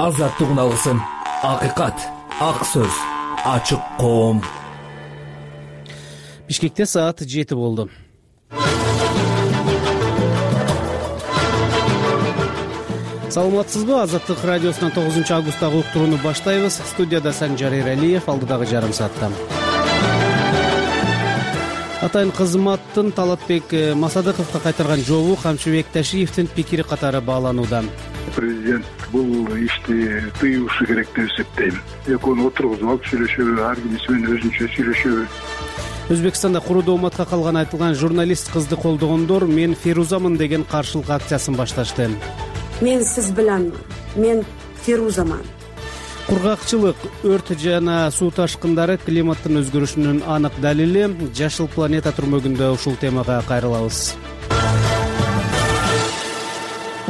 азаттык алсын. Акыйкат, ак сөз, ачык коом. Бишкекте саат 7 болду. Саламатсызбы? Азаттык радиосунан 9 августтагы уктурууну баштайбыз. Студияда Санжар Эралиев, алдыдагы жарым саатта. Атайын кызматтын Талатбек Масадыковго кайтарган жообу Камчыбек Ташиевдин пикири катары бааланууда. Президент бул ишти тыюушу керек деп эсептейм. Экөөнү отургузуп алып сүйлөшөбү, ар кимиси менен өзүнчө сүйлөшөбү. Өзбекстанда куруу уматка калган айтылган журналист кызды колдогондор "Мен Ферузамын" деген каршылык акциясын башташты. Мен сиз биленмин. Мен Ферузамын. Кургакчылык, өрт жана суу ташкындары климаттын өзгөрүшүнүн анык далили. Жашыл планета түрмөгүндө ушул темага кайрылабыз.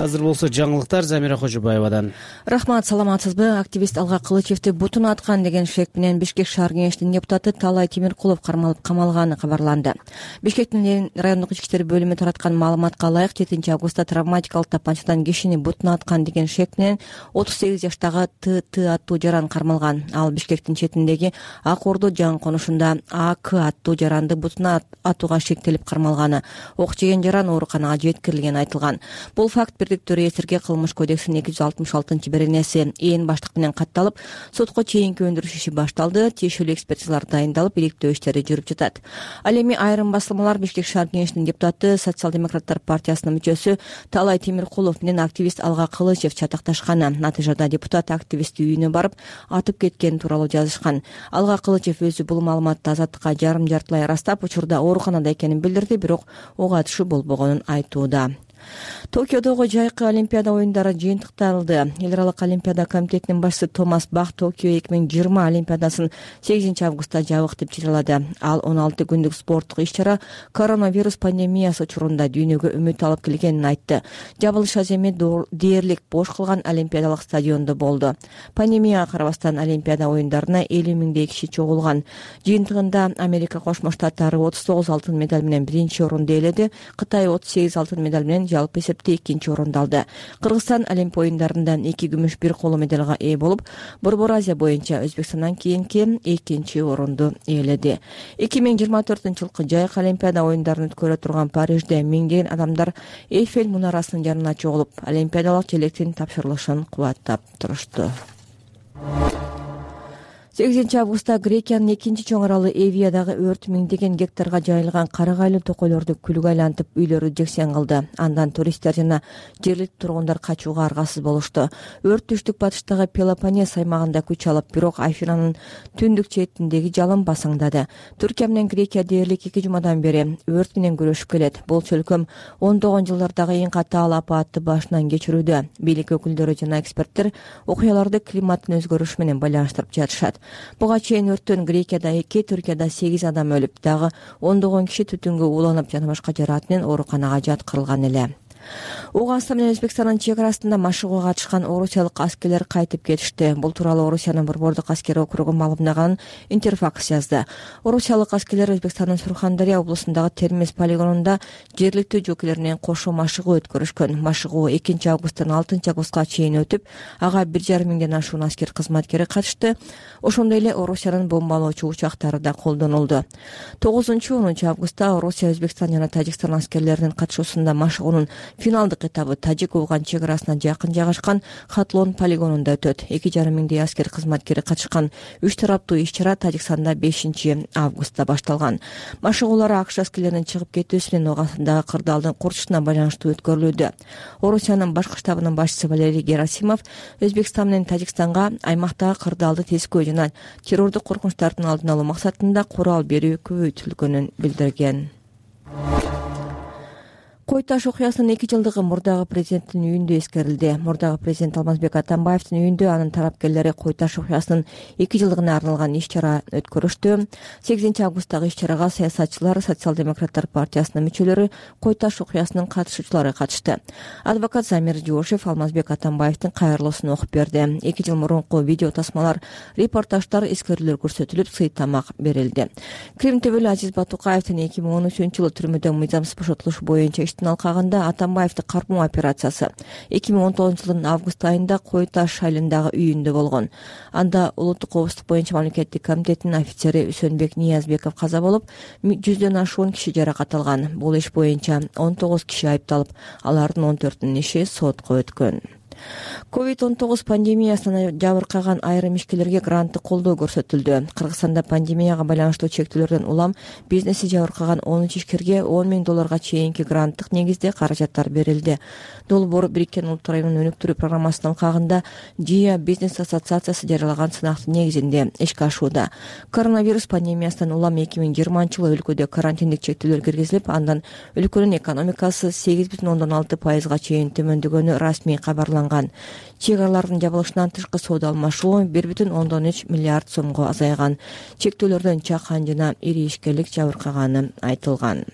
Азыр болсо жаңылыктар Замира Кожобаевадан. Рахмат, саламатсызбы? Активист Алга Кылычевди бутун аткан деген шек менен Бишкек шаар кеңешинин депутаты Талай Темиркулов кармалып камалганы кабарланды. Бишкектин райондук ички иштер бөлүмү тараткан маалыматка ылайык 7 августта травматикалык тапанчадан кишини бутун аткан деген шек менен 38 жаштагы ТТ аттуу жаран кармалган. Ал Бишкектин четиндеги Ак Ордо жаңы конушунда АК аттуу жаранды бутуна атууга шектелип кармалганы. Ок жеген жаран ооруканага жеткирилгени айтылган. Бул факт Бирдиктүү эсирге кылмыш кодексинин 266-беренеси ээн баштык менен катталып, сотко чейинки өндүрүш иши башталды. Тиешелүү экспертизалар дайындалып, иликтөө иштери жүрүп жатат. Ал эми айрым басылмалар Бишкек шаар кеңешинин депутаты, Социал-демократтар партиясынын мүчөсү Талай Темиркулов менен активист Алга Кылычев чатакташканы. Натыйжада депутат активисти үйүнө барып, атып кеткени тууралуу жазышкан. Алга Кылычев өзү бул маалыматты Азаттыкка жарым-жартылай ырастап, учурда ооруканада экенин билдирди, бирок ок атышы болбогонун айтууда. Токиодогу жайкы Олимпиада оюндары жыйынтыкталды. Эл аралык Олимпиада комитетинин башчысы Томас Бах Токио 2020 Олимпиадасын 8 августта жабык деп жарыялады. Ал 16 күндүк спорттук иш-чара коронавирус пандемиясы учурунда дүйнөгө үмүт алып келгенин айтты. Жабылыш аз эми дээрлик бош калган Олимпиадалык стадиондо болду. Пандемияга карабастан Олимпиада оюндарына 50 миңдей киши чогулган. Жыйынтыгында Америка Кошмо Штаттары 39 алтын медаль менен биринчи орунду ээледи. Кытай 38 алтын медаль менен жалпы эсепте экинчи орунду алды. Кыргызстан Олимпия оюндарынан 2 күмүш 1 коло медалга ээ болуп, Борбор Азия боюнча Өзбекстандан кийинки экинчи орунду ээледи. 2024-жылкы жайкы Олимпиада оюндарын өткөрө турган Парижде миңдеген адамдар Эйфель мунарасынын жанына чогулуп, олимпиадалык желектин тапшырылышын кубаттап турушту. 8 августта Грекиянын экинчи чоң аралы Эвиядагы өрт миңдеген гектарга жайылган карагайлуу токойлорду күлгө айлантып, үйлөрү жексен кылды. Андан туристтер жана жергиликтүү тургундар качууга аргасыз болушту. Өрт түштүк батыштагы Пелопоннес аймагында күч алып, бирок Афинанын түндүк четиндеги жалын басаңдады. Түркия менен Грекия дээрлик 2 жумадан бери өрт менен күрөшүп келет. Бул чөлкөм 10 жылдардагы эң катаал апатты башынан кечирүүдө. Бийлик өкүлдөрү жана эксперттер окуяларды климаттын өзгөрүшү менен байланыштырып жатышат. Буга чейин өрттөн Грекияда 2, Түркияда 8 адам өлүп, дагы 10 киши түтүнгө ууланып жана башка жараат менен ооруканага жаткырылган эле. Ооганстан менен Өзбекстандын чек арасында машыгууга катышкан орусиялык аскерлер кайтып кетишти. Бул тууралуу Орусиянын Борбордук аскери округу маалымдаганын Интерфакс жазды. Орусиялык аскерлер Өзбекстандын Сурхандария облусундагы Термез полигонунда жергиликтүү жокейлер менен кошо машыгуу өткөрүшкөн. Машыгуу 2 августтан 6 августка чейин өтүп, ага 1,5 миңден ашуун аскер кызматкери катышты. Ошондой эле Орусиянын бомбалоочу учактары да колдонулду. 9-10 августта Орусия, Өзбекстан жана Тажикстан аскерлеринин катышуусунда машыгуунун финалдык этабы Тажик-Афган чек арасына жакын жайгашкан Хатлон полигонунда өтөт. 2,5 миңдей аскер кызматкери катышкан 3 тараптуу иш-чара Тажикстанда 5 августта башталган. Машыгуулар АКШ аскерлеринин чыгып кетүүсү менен Ооганстандагы кырдаалдын курчушуна байланыштуу өткөрүлүүдө. Орусиянын башкы штабынын башчысы Валерий Герасимов Өзбекстан менен Тажикстанга аймактагы кырдаалды тескөө жана террордук коркунучтардын алдын алуу максатында курал берүү көбөйтүлгөнүн билдирген. Кой таш окуясынын 2 жылдыгы мурдагы президенттин үйүндө эскерилди. Мурдагы президент Алмазбек Атамбаевдин үйүндө анын тарапкерлери Кой таш окуясынын 2 жылдыгына арналган иш-чара өткөрүштү. 8 августтагы иш-чарага саясатчылар, Социал-демократтар партиясынын мүчөлөрү, Кой таш окуясынын катышуучулары катышты. Адвокат Замир Жошев Алмазбек Атамбаевдин кайрылуусун окуп берди. 2 жыл мурунку видео тасмалар, репортаждар, эскерүүлөр көрсөтүлүп, сый тамак берилди. Крим төбөлү Азиз Батукаевдин 2013-жылы түрмөдөн мыйзамсыз бошотулушу боюнча кеңештин алкагында Атамбаевди кармоо операциясы 2019-жылдын август айында Кой Таш айылындагы үйүндө болгон. Анда улуттук коопсуздук боюнча мамлекеттик комитеттин офицери Үсөнбек Ниязбеков каза болуп, 100дөн ашуун киши жаракат алган. Бул иш боюнча 19 киши айыпталып, алардын 14-нүн иши сотко өткөн. COVID-19 пандемиясынан жабыркаган айрым ишкерлерге гранттык колдоо көрсөтүлдү. Кыргызстанда пандемияга байланыштуу чектөөлөрдөн улам бизнеси жабыркаган 13 ишкерге $10,000 чейинки гранттык негизде каражаттар берилди. Долбоор Бириккен Улуттар Уюмунун өнүктүрүү программасынын алкагында ЖИА бизнес ассоциациясы жарыялаган сынактын негизинде ишке ашууда. Коронавирус пандемиясынан улам 2020-жылы өлкөдө карантиндик чектөөлөр киргизилип, андан өлкөнүн экономикасы 8,6% чейин төмөндөгөнү расмий кабарланган. Чек аралардын жабылышынан тышкы соода алмашуу 1,3 миллиард сомго азайган. Чектөөлөрдөн чакан жана ири ишкерлик жабыркаганы айтылган.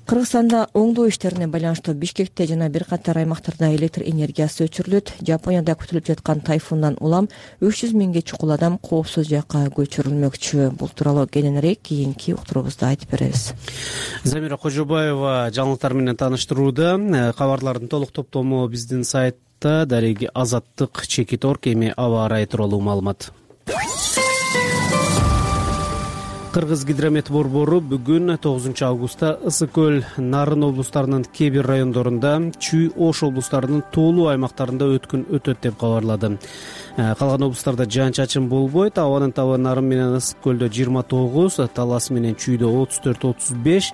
Кыргызстанда оңдоо иштерине байланыштуу Бишкекте жана бир катар аймактарда электр энергиясы өчүрүлөт. Жапонияда күтүлүп жаткан тайфундан улам 300 миңге чукул адам коопсуз жакка көчүрүлмөкчү. Бул тууралуу кененирээк кийинки уктуруубузда айтып беребиз. Замира Кожобаева жаңылыктар менен тааныштырууда. Кабарлардын толук топтому биздин сайтта дареги Азаттык Чекит.org эми аба ырайы тууралуу маалымат. Кыргыз гидромет борбору бүгүн 9 августта Ысык көл, Нарын облустарынын кээ бир райондорунда, Чүй, Ош облустарынын тоолуу аймактарында өткүн өтөт деп кабарлады. Калган облустарда жаан-чачын болбойт. Абанын табы Нарын менен Ысык көлдө 29, Талас менен Чүйдө 34-35,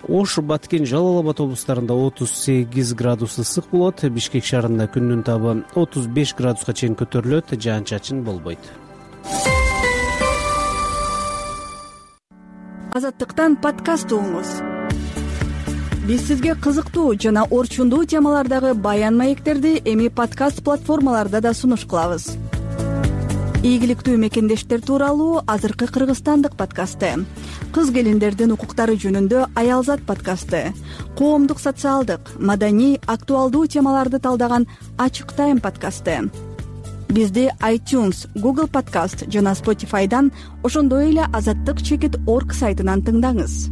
Ош, Баткен, Жалал Абад облустарында 38 градус ысык болот. Бишкек шаарында күндүн табы 35 градуска чейин көтөрүлөт, жаан-чачын болбойт. Азаттыктан подкаст угуңуз. Биз сизге кызыктуу жана орчундуу темалардагы баян маектерди эми подкаст платформаларда да сунуш кылабыз. Ийгиликтүү мекендештер тууралуу азыркы кыргызстандык подкасты, кыз келиндердин укуктары жөнүндө Аялзат подкасты, коомдук, социалдык, маданий, актуалдуу темаларды талдаган Ачык Тайм подкасты. Бизди iTunes, Google Podcast жана Spotify'дан, ошондой эле Азаттык Чекит.org сайтынан тыңдаңыз.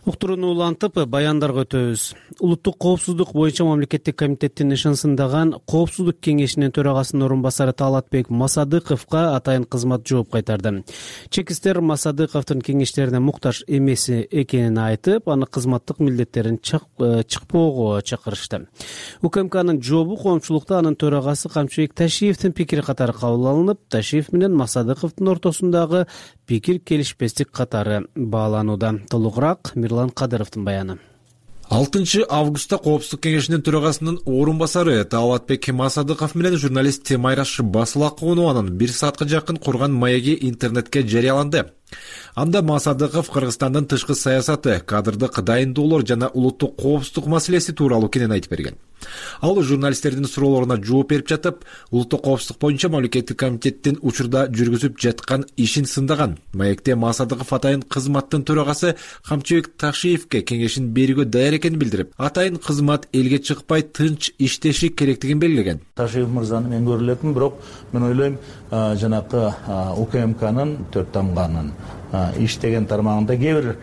Уктурууну улантып, баяндарга өтөбүз. Улуттук коопсуздук боюнча мамлекеттик комитеттин ишенсиндаган Коопсуздук кеңешинин төрагасынын орун басары Талатбек Масадыковго атайын кызмат жооп кайтарды. Чекистер Масадыковдун кеңештерине муктаж эмес экенин айтып, аны кызматтык милдеттерин чыкпоого чакырышты. УКМКнын жообу коомчулукта анын төрагасы Камчыбек Ташиевдин пикири катары кабыл алынып, Ташиев менен Масадыковдун ортосундагы пикир келишпестик катары бааланууда. Толугураак Мирлан Кадыровдун баяны. 6 августта Коопсуздук кеңешинин төрагасынын орун басары Талатбек Масадыков менен журналист Майраш Басылакованын 1 саатка жакын курган маеги интернетке жарыяланды. Анда Масадыков Кыргызстандын тышкы саясаты, кадрдык дайындоолор жана улуттук коопсуздук маселеси тууралуу кенен айтып берген. Ал журналисттердин суроолоруна жооп берип жатып, улуттук коопсуздук боюнча мамлекеттик комитеттин учурда жүргүзүп жаткан ишин сындаган. Маекте Масадыков атайын кызматтын төрагасы Камчыбек Ташиевке кеңешин берүүгө даяр экенин билдирип, атайын кызмат элге чыкпай тынч иштеши керектигин белгилеген. Ташиев мырзаны мен көрө элетмин, бирок мен ойлойм, жанакы УКМКнын 4 тамганын иштеген тармагында кээ бир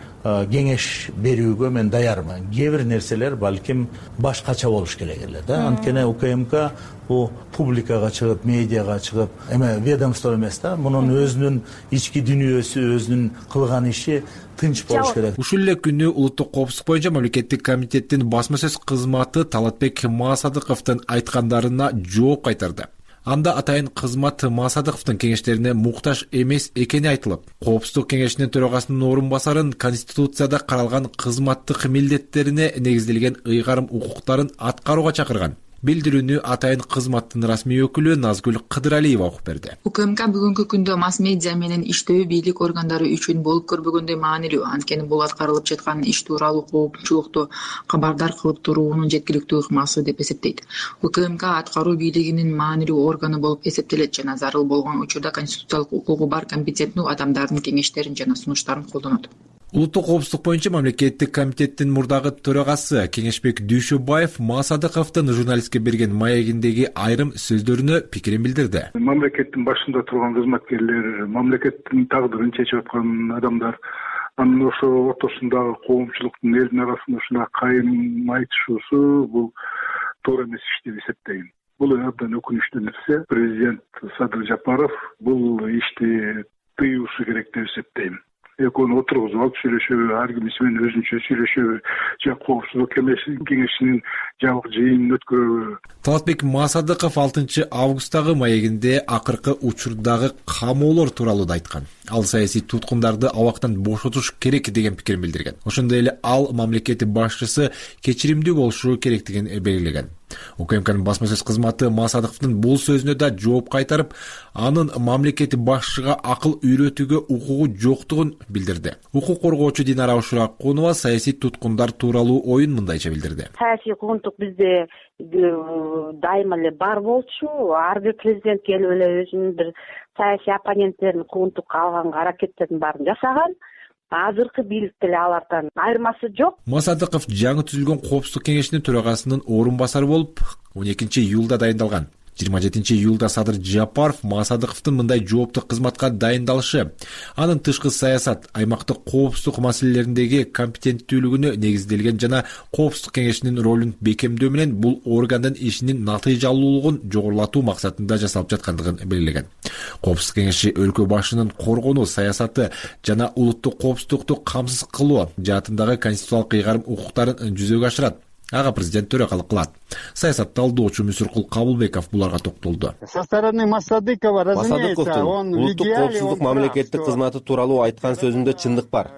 кеңеш берүүгө мен даярмын. Кээ бир нерселер балким башкача болуш керек эле да. Анткени УКМК бул публикага чыгып, медиага чыгып, эме ведомство эмес да. Мунун өзүнүн ички дүнүйөсү, өзүнүн кылган иши тынч болуш керек. Ушул эле күнү улуттук коопсуздук боюнча мамлекеттик комитеттин басма сөз кызматы Талатбек Масадыковдун айткандарына жооп кайтарды. Анда атайын кызмат Масадыковдун кеңештерине муктаж эмес экени айтылып, Коопсуздук кеңешинин төрагасынын орун басарын Конституцияда каралган кызматтык милдеттерине негизделген ыйгарым укуктарын аткарууга чакырган. Билдирүүнү атайын кызматтын расмий өкүлү Назгүл Кыдыралиева окуп берди. УКМК бүгүнкү күндө масс медиа менен иштөө бийлик органдары үчүн болуп көрбөгөндөй маанилүү. Анткени бул аткарылып жаткан иш тууралуу коомчулукту кабардар кылып туруунун жеткиликтүү ыкмасы деп эсептейт. УКМК аткаруу бийлигинин маанилүү органы болуп эсептелет жана зарыл болгон учурда конституциялык укугу бар компетенттүү адамдардын кеңештерин жана сунуштарын колдонот. Улуттук коопсуздук боюнча мамлекеттик комитеттин мурдагы төрагасы Кеңешбек Дүйшөбаев Масадыковдун журналистке берген маегиндеги айрым сөздөрүнө пикирин билдирди. Мамлекеттин башында турган кызматкерлер, мамлекеттин тагдырын чечип аткан адамдар Анын ошо ортосундагы коомчулуктун элдин арасында ушундай кайым айтышуусу бул туура эмес иш деп эсептейм. Бул абдан өкүнүчтүү нерсе. Президент Садыр Жапаров бул ишти тыюушу керек деп эсептейм. Экөөнү отургузуп алып сүйлөшөбү, ар кимиси менен өзүнчө сүйлөшөбү, же коопсуздук кеңешинин жабык жыйынын өткөрөбү. Талатбек Масадыков 6 августтагы маегинде акыркы учурдагы камоолор тууралуу да айткан. Ал саясий туткундарды абактан бошотуш керек деген пикирин билдирген. Ошондой эле ал мамлекет башчысы кечиримдүү болушу керектигин белгилеген. УКМКнын басма сөз кызматы Масадыковдун бул сөзүнө да жооп кайтарып, анын мамлекет башчыга акыл үйрөтүүгө укугу жоктугун билдирди. Укук коргоочу Динара Ушуракунова саясий туткундар тууралуу оюн мындайча билдирди. Саясий куугунтук бизде дайыма эле бар болчу. Ар бир президент келип эле өзүнүн бир саясий оппоненттерин куугунтукка алганга аракеттердин баарын жасаган. Азыркы бийлик деле алардан айырмасы жок. Масадыков жаңы түзүлгөн коопсуздук кеңешинин төрагасынын орун басары болуп 12 июлда дайындалган. 27 июлда Садыр Жапаров Масадыковдун мындай жооптуу кызматка дайындалышы, анын тышкы саясат, аймактык коопсуздук маселелериндеги компетенттүүлүгүнө негизделген жана коопсуздук кеңешинин ролун бекемдөө менен бул органдын ишинин натыйжалуулугун жогорулатуу максатында жасалып жаткандыгын белгилеген. Коопсуздук кеңеши өлкө башынын коргонуу саясаты жана улуттук коопсуздукту камсыз кылуу жаатындагы конституциялык ыйгарым укуктарын жүзөгө ашырат. Ага президент төрөкалык кылат. Саясат талдоочу Мүсүркул Кабылбеков буларга токтолду. Со стороны Масадыковдун улуттук коопсуздук мамлекеттик кызматы тууралуу айткан сөзүндө чындык бар.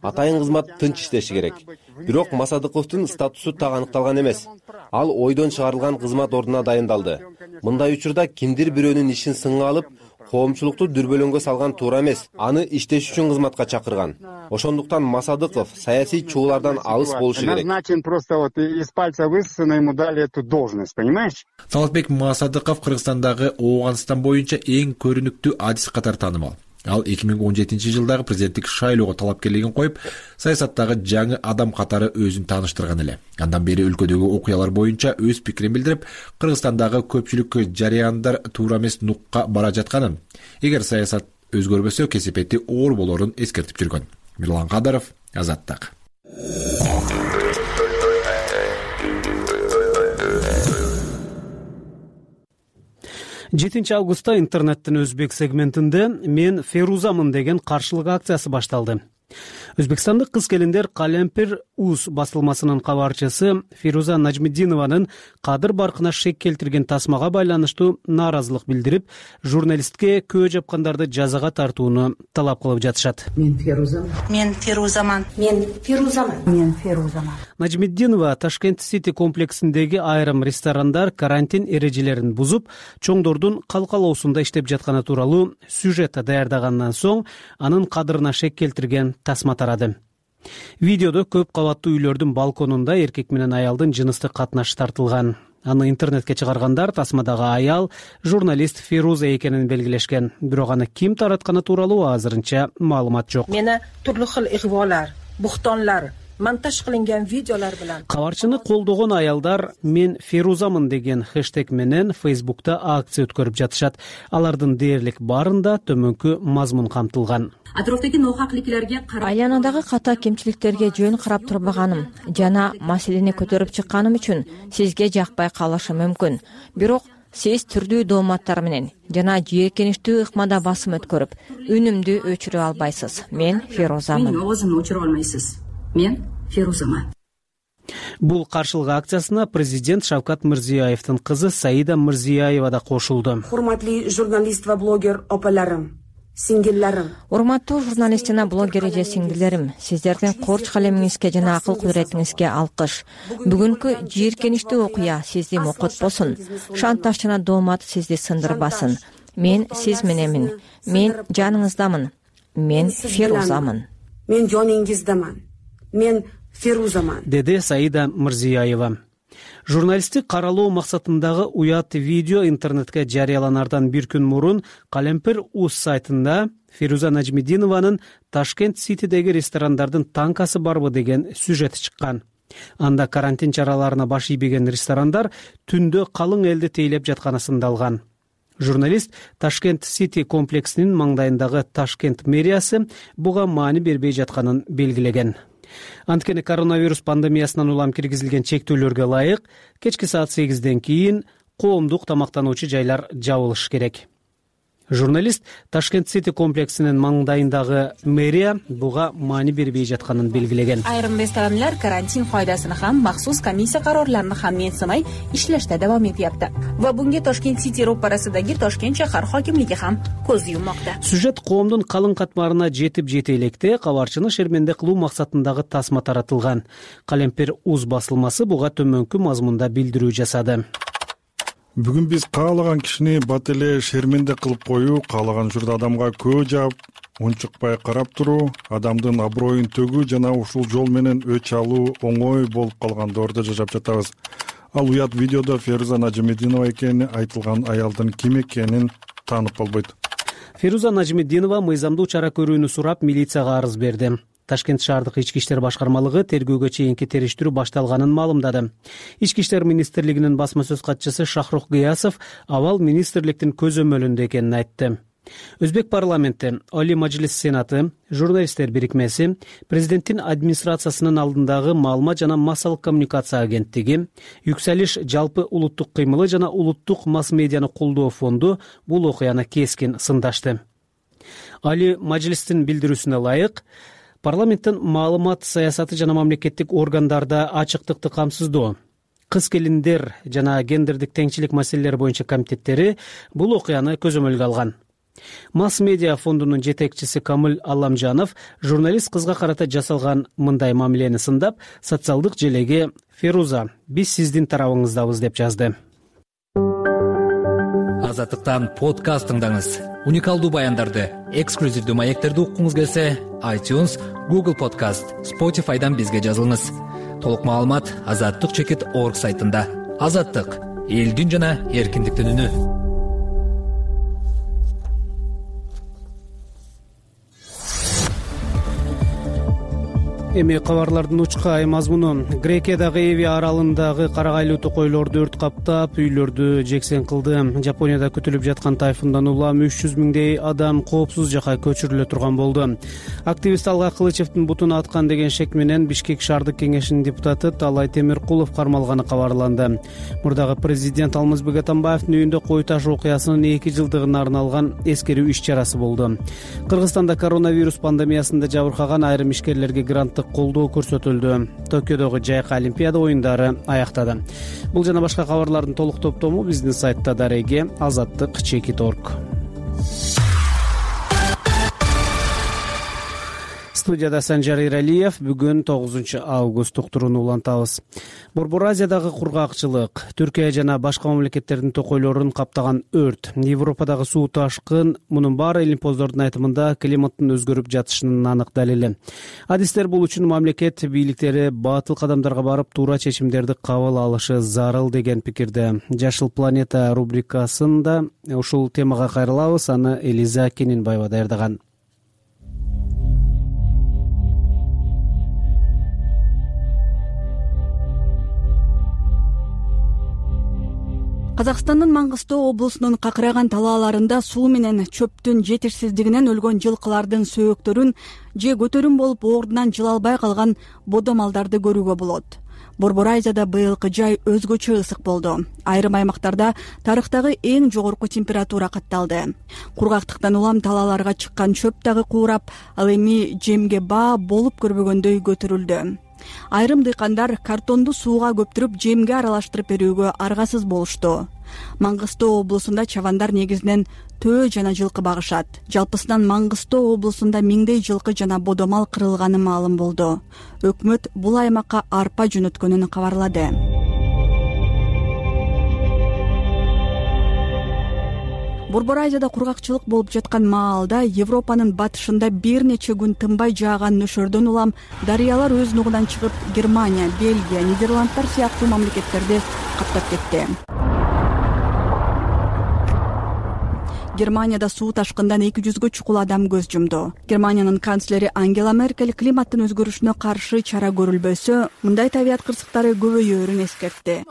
Атайын кызмат тынч иштеши керек. Бирок Масадыковдун статусу так аныкталган эмес. Ал ойдон чыгарылган кызмат ордуна дайындалды. Мындай учурда кимдир бирөөнүн ишин сынга алып, коомчулукту дүрбөлөңгө салган туура эмес. Аны иштеш үчүн кызматка чакырган. Ошондуктан Масадыков саясий чуулардан алыс болушу керек. Назначен просто вот из пальца высосано, ему дали эту должность, понимаешь? Талатбек Масадыков Кыргызстандагы Ооганстан боюнча эң көрүнүктүү адис катары таанымал. Ал 2017 жылдагы президенттик шайлоого талапкерлигин коюп, саясаттагы жаңы адам катары өзүн тааныштырган эле. Андан бери өлкөдөгү окуялар боюнча өз пикирин билдирип, Кыргызстандагы көпчүлүк жарыяндар туура эмес нукка бара жатканын, эгер саясат өзгөрбөсө кесепети оор болорун эскертип жүргөн. Мирлан Кадаров, Азаттык. 7 августта интернеттин өзбек сегментинде «Мен Ферузамын» деген каршылык акциясы башталды. Өзбекстандык кыз-келиндер Калемпир УЗ басылмасынын кабарчысы Фируза Нажмидинованын кадыр баркына шек келтирген тасмага байланыштуу нааразылык билдирип, журналистке көө жапкандарды жазага тартууну талап кылып жатышат. Мен Ферузамын. Мен Ферузамын. Мен Ферузамын. Мен Ферузамын. Нажмиддинова Ташкент Сити комплексиндеги айрым ресторандар карантин эрежелерин бузуп, чоңдордун калкалоосунда иштеп жатканы тууралуу сюжет даярдагандан соң анын кадырына шек келтирген тасма тарады. Видеодо көп кабаттуу үйлөрдүн балконунда эркек менен аялдын жыныстык катнашы тартылган. Аны интернетке чыгаргандар тасмадагы аял журналист Феруза экенин белгилешкен. Бирок аны ким таратканы тууралуу азырынча маалымат жок. Мени түрлүү хил игъволар, буктонлар, монтаж кылынган видеолор менен кабарчыны колдогон аялдар «Мен Ферузамын» деген хэштег менен Фейсбукта акция өткөрүп жатышат. Алардын дээрлик баарында төмөнкү мазмун камтылган. Атрофтаги нохакликлерге айланадагы ката кемчиликтерге жөн карап турбаганым жана маселени көтөрүп чыкканым үчүн сизге жакпай калышы мүмкүн. Бирок сиз түрдүү дооматтар менен жана жийиркеничтүү ыкмада басым өткөрүп, үнүмдү өчүрө албайсыз. Мен Ферузамын. Мен оозумду өчүрө алмайсыз. Мен Ферузамын. Бул каршылык акциясына президент Шавкат Мирзиёевдин кызы Саида Мирзиёева да кошулду. Урматтуу журналист ва блогер опаларым, сиңдилерим. Урматтуу журналист жана блогер эже сиңдилерим, сиздердин корч калемиңизге жана акыл кудуретиңизге алкыш. Бүгүнкү жийиркеничтүү окуя сизди мокотпосун. Шантаж жана доомат сизди сындырбасын. Мен сиз мененмин. Мен жаныңыздамын. Мен Ферузамын. Мен жонуңуздамын. Мен Ферузамын, деди Саида Мирзиёева. Журналисттик каралоо максатындагы уят видео интернетке жарыяланардан бир күн мурун Калемпир УЗ сайтында Фируза Нажмидинованын Ташкент Ситидеги ресторандардын танкасы барбы деген сюжети чыккан. Анда карантин чараларына баш ийбеген ресторандар түндө калың элди тейлеп жатканы сындалган. Журналист Ташкент Сити комплексинин маңдайындагы Ташкент мэриясы буга маани бербей жатканын белгилеген. Анткени коронавирус пандемиясынан улам киргизилген чектөөлөргө ылайык кечки саат 8ден кийин коомдук тамактануучу жайлар жабылышы керек. Журналист Ташкент Сити комплексинин маңдайындагы мэрия буга маани бербей жатканын белгилеген. Айрым ресторандар карантин кайдасын хам, махсус комиссия карарларын хам менсимай иштеште давам этяпты. Ва бунге Ташкент Сити ропарасындагы Ташкент шаар хакимлиги хам көз юммакта. Сюжет коомдун калың катмарына жетип жете электе кабарчыны шерменде кылуу максатындагы тасма таратылган. Калемпир УЗ басылмасы буга төмөнкү мазмунда билдирүү жасады. Бүгүн биз каалаган кишини бат эле шерменде кылып коюу, каалаган учурда адамга көө жаап, унчукпай карап туруу, адамдын аброюн төгүү жана ушул жол менен өч алуу оңой болуп калган доордо жашап жатабыз. Ал уят видеодо Феруза Нажимединова экени айтылган аялдын ким экенин таанып болбойт. Феруза Нажимединова мыйзамдуу чара көрүүнү сурап милицияга арыз берди. Ташкент шаардык ички иштер башкармалыгы тергөөгө чейинки териштирүү башталганын маалымдады. Ички иштер министрлигинин басма сөз катчысы Шахрух Гыясов абал министрликтин көзөмөлүндө экенин айтты. Өзбек парламенти, Али Мажлис Сенаты, журналисттер бирикмеси, президенттин администрациясынын алдындагы маалымат жана массалык коммуникация агенттиги, Юксалиш жалпы улуттук кыймылы жана улуттук масс медианы колдоо фонду бул окуяны кескин сындашты. Али Мажлистин билдирүүсүнө ылайык, парламенттин маалымат саясаты жана мамлекеттик органдарда ачыктыкты камсыздоо, кыз-келиндер жана гендердик теңчилик маселелери боюнча комитеттери бул окуяны көзөмөлгө алган. Масс медиа фондунун жетекчиси Камыл Алламжанов журналист кызга карата жасалган мындай мамилени сындап, социалдык желеге «Феруза, биз сиздин тарабыңыздабыз» деп жазды. Азаттыктан подкаст тыңдаңыз. Уникалдуу баяндарды, эксклюзивдүү маектерди уккуңуз келсе, iTunes, Google Podcast, Spotify'дан бизге жазылыңыз. Толук маалымат azаттык.org сайтында. Азаттык — элдин жана эркиндиктин үнү. Эми кабарлардын учкай мазмуну. Грекиядагы Эви аралындагы карагайлуу токойлорду өрт каптап, үйлөрдү жексен кылды. Жапонияда күтүлүп жаткан тайфундан улам 300 миңдей адам коопсуз жакка көчүрүлө турган болду. Активист Алга Кылычевдин бутун аткан деген шек менен Бишкек шаардык кеңешинин депутаты Талай Темиркулов кармалганы кабарланды. Мурдагы президент Алмазбек Атамбаевдин үйүндө кой таш окуясынын 2 жылдыгына арналган эскерүү иш чарасы болду. Кыргызстанда коронавирус пандемиясында жабыркаган айрым ишкерлерге гранттык колдоо көрсөтүлдү. Токиодогу жайкы олимпиада оюндары аяктады. Бул жана башка кабарлардын толук топтому биздин сайтта дареги azаттык.org. Студияда Санжар Иралиев. Бүгүн 9 август уктурууну улантабыз. Борбор Азиядагы кургакчылык, Түркия жана башка мамлекеттердин токойлорун каптаган өрт, Европадагы суу ташкын, мунун баары илимпоздордун айтымында климаттын өзгөрүп жатышынын анык далили. Адистер бул үчүн мамлекет бийликтери батыл кадамдарга барып, туура чечимдерди кабыл алышы зарыл деген пикирде. Жашыл планета рубрикасында ушул темага кайрылабыз. Аны Элиза Кенинбаева даярдаган. Казакстандын Маңгыстоо облусунун какыраган талааларында суу менен чөптүн жетишсиздигинен өлгөн жылкылардын сөөктөрүн же көтөрүм болуп ордунан жыла албай калган бодомалдарды көрүүгө болот. Борбор Азияда быйылкы жай өзгөчө ысык болду. Айрым аймактарда тарыхтагы эң жогорку температура катталды. Кургактыктан улам талааларга чыккан чөп дагы куурап, ал эми жемге баа болуп көрбөгөндөй көтөрүлдү. Айрым дыйкандар картонду сууга көптүрүп жемге аралаштырып берүүгө аргасыз болушту. Маңгыстоо облусунда чабандар негизинен төө жана жылкы багышат. Жалпысынан Маңгыстоо облусунда миңдей жылкы жана бодомал кырылганы маалым болду. Өкмөт бул аймакка арпа жөнөткөнүн кабарлады. Борбор Азияда кургакчылык болуп жаткан маалда Европанын батышында бир нече күн тынбай жааган нөшөрдөн улам дарыялар өз нугунан чыгып, Германия, Бельгия, Нидерландтар сыяктуу мамлекеттерди каптап кетти. Германияда суу ташкындан 200гө чукул адам көз жумду. Германиянын канцлери Ангела Меркель климаттын өзгөрүшүнө каршы чара көрүлбөсө, мындай табият кырсыктары көбөйөөрүн эскертти.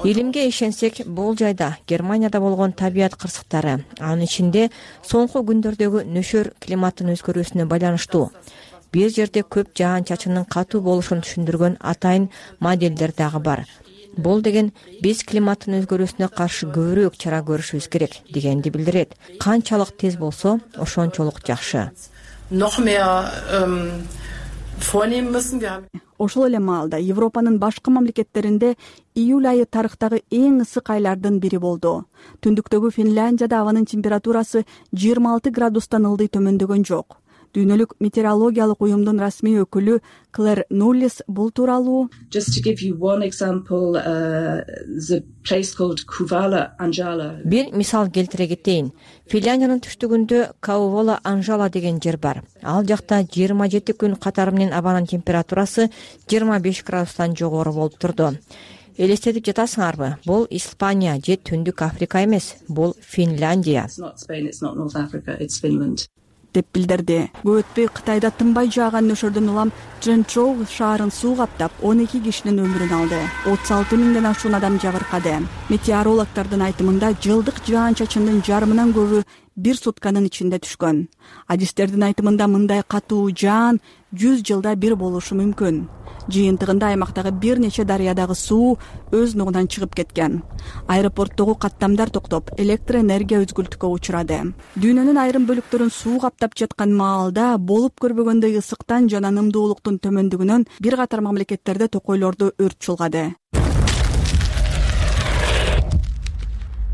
Илимге ишенсек, бул жайда Германияда болгон табият кырсыктары, анын ичинде соңку күндөрдөгү нөшөр климаттын өзгөрүүсүнө байланыштуу. Бир жерде көп жаан-чачындын катуу болушун түшүндүргөн атайын моделдер дагы бар. Бул деген биз климаттын өзгөрүүсүнө каршы көбүрөөк чара көрүшүбүз керек дегенди билдирет. Канчалык тез болсо, ошончолук жакшы. Ошол эле маалда Европанын башка мамлекеттеринде июль айы тарыхтагы эң ысык айлардын бири болду. Түндүктөгү Финляндияда абанын температурасы 26 градустан ылдый төмөндөгөн жок. Дүйнөлүк метеорологиялык уюмдун расмий өкүлү Клэр Нуллис бул тууралуу бир мисал келтире кетейин. Финляндиянын түштүгүндө Каувола Анжала деген жер бар. Ал жакта 27 күн катары менен абанын температурасы 25 градустан жогору болуп турду. Элестетип жатасыңарбы? Бул Испания же Түндүк Африка эмес, бул Финляндия деп билдирди. Көп өтпөй Кытайда тынбай жааган нөшөрдөн улам Чжэнчжоу шаарын суу каптап 12 кишинин өмүрүн алды. 36 миңден ашуун адам жабыркады. Метеорологдордун айтымында жылдык жаан-чачындын жарымынан көбү бир сутканын ичинде түшкөн. Адистердин айтымында мындай катуу жаан 100 жылда бир болушу мүмкүн. Жыйынтыгында аймактагы бир нече дарыядагы суу өз нугунан чыгып кеткен. Аэропорттогу каттамдар токтоп, электр энергия үзгүлтүккө учурады. Дүйнөнүн айрым бөлүктөрүн суу каптап жаткан маалда болуп көрбөгөндөй ысыктан жана нымдуулуктун төмөндүгүнөн бир катар мамлекеттерде токойлорду өрт чулгады.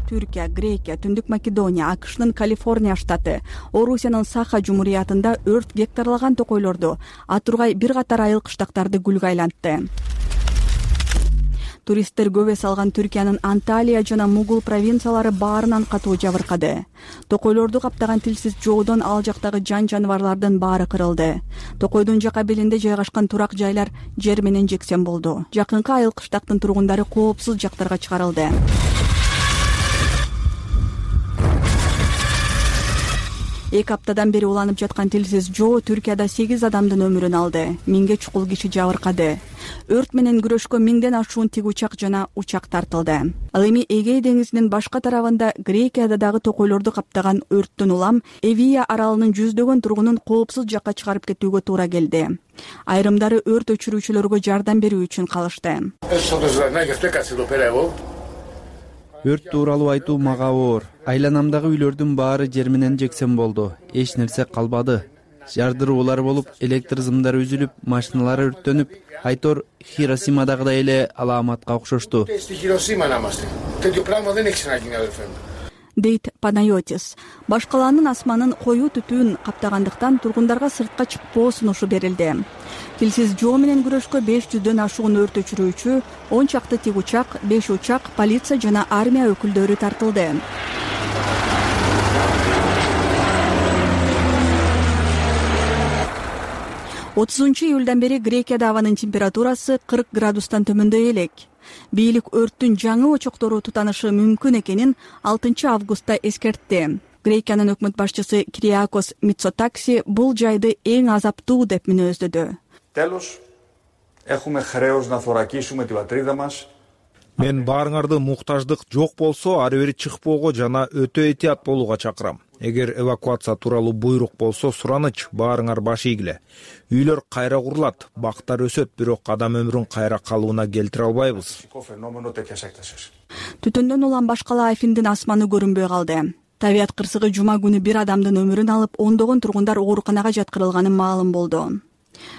Түркия, Грекия, Түндүк Македония, АКШнын Калифорния штаты, Орусиянын Саха жумуриятында өрт гектарлаган токойлорду, атургай бир катар айыл кыштактарды күлгө айлантты. Туристтер көп эс алган Түркиянын Анталия жана Мугул провинциялары баарынан катуу жабыркады. Токойлорду каптаган тилсиз жоодон ал жактагы жан-жаныбарлардын баары кырылды. Токойдун жака белинде жайгашкан турак жайлар жер менен жексен болду. Жакынкы айыл кыштактын тургундары коопсуз жактарга чыгарылды. Эки аптадан бери уланып жаткан тилсиз жоо Түркияда 8 адамдын өмүрүн алды. 1000ге чукул киши жабыркады. Өрт менен күрөшкө 1000ден ашуун тик учак жана учак тартылды. Ал эми Эгей деңизинин башка тарабында Грекияда дагы токойлорду каптаган өрттөн улам Эвия аралынын жүздөгөн тургунун коопсуз жакка чыгарып кетүүгө туура келди. Айрымдары өрт өчүрүүчүлөргө жардам берүү үчүн калышты. Өрт тууралуу айтуу мага оор. Айланамдагы үйлөрдүн баары жер менен жексен болду. Эч нерсе калбады. Жардыруулар болуп, электр зымдары үзүлүп, машиналар өрттөнүп, айтор Хиросимадагыдай эле алааматка окшошту. Дейт Панайотис. Башкаланын асманын коюу түтүүн каптагандыктан тургундарга сыртка чыкпоо сунушу берилди. Тилсиз жоо менен күрөшкө 500дөн ашуун өрт өчүрүүчү, 10 чакты тик учак, 5 учак, полиция жана армия өкүлдөрү тартылды. Июлдан бери Грекияда абанын температурасы 40 градустан төмөндөй элек. Бийлик өрттүн жаңы очоктору тутанышы мүмкүн экенин 6 августта эскертти. Грекиянын өкмөт башчысы Кириакос Мицотакси бул жайды эң азаптуу деп мүнөздөдү. Мен баарыңарды муктаждык жок болсо, ары бери чыкпоого жана өтө этият болууга чакырам. Эгер эвакуация тууралуу буйрук болсо, сураныч, баарыңар баш ийгиле. Үйлөр кайра курулат, бактар өсөт, бирок адам өмүрүн кайра калыбына келтире албайбыз. Түтөндөн улам башкала Афиндин асманы көрүнбөй калды. Табият кырсыгы жума күнү бир адамдын өмүрүн алып, ондогон тургундар ооруканага жаткырылганы маалым болду.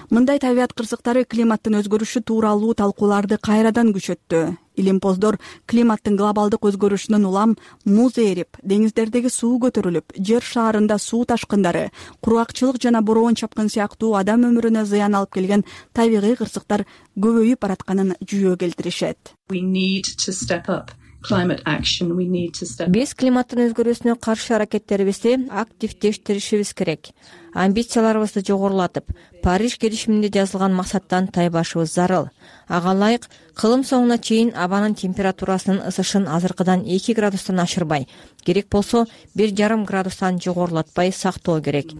Мындай табият кырсыктары климаттын өзгөрүшү тууралуу талкууларды кайрадан күчөттү. Илимпоздор климаттын глобалдык өзгөрүшүнөн улам муз эрип, деңиздердеги суу көтөрүлүп, жер шаарында суу ташкындары, кургакчылык жана бороон чапкын сыяктуу адам өмүрүнө зыян алып келген табигый кырсыктар көбөйүп баратканын жүйө келтиришет. Биз климаттын өзгөрүүсүнө каршы аракеттерибизди активдештиришибиз керек. амбицияларыбызды жогорулатып, Париж келишиминде жазылган максаттан тайбашыбыз зарыл. Ага ылайык кылым соңуна чейин абанын температурасынын ысышын азыркыдан 2 градустан ашырбай, керек болсо 1,5 градустан жогорулатпай сактоо керек,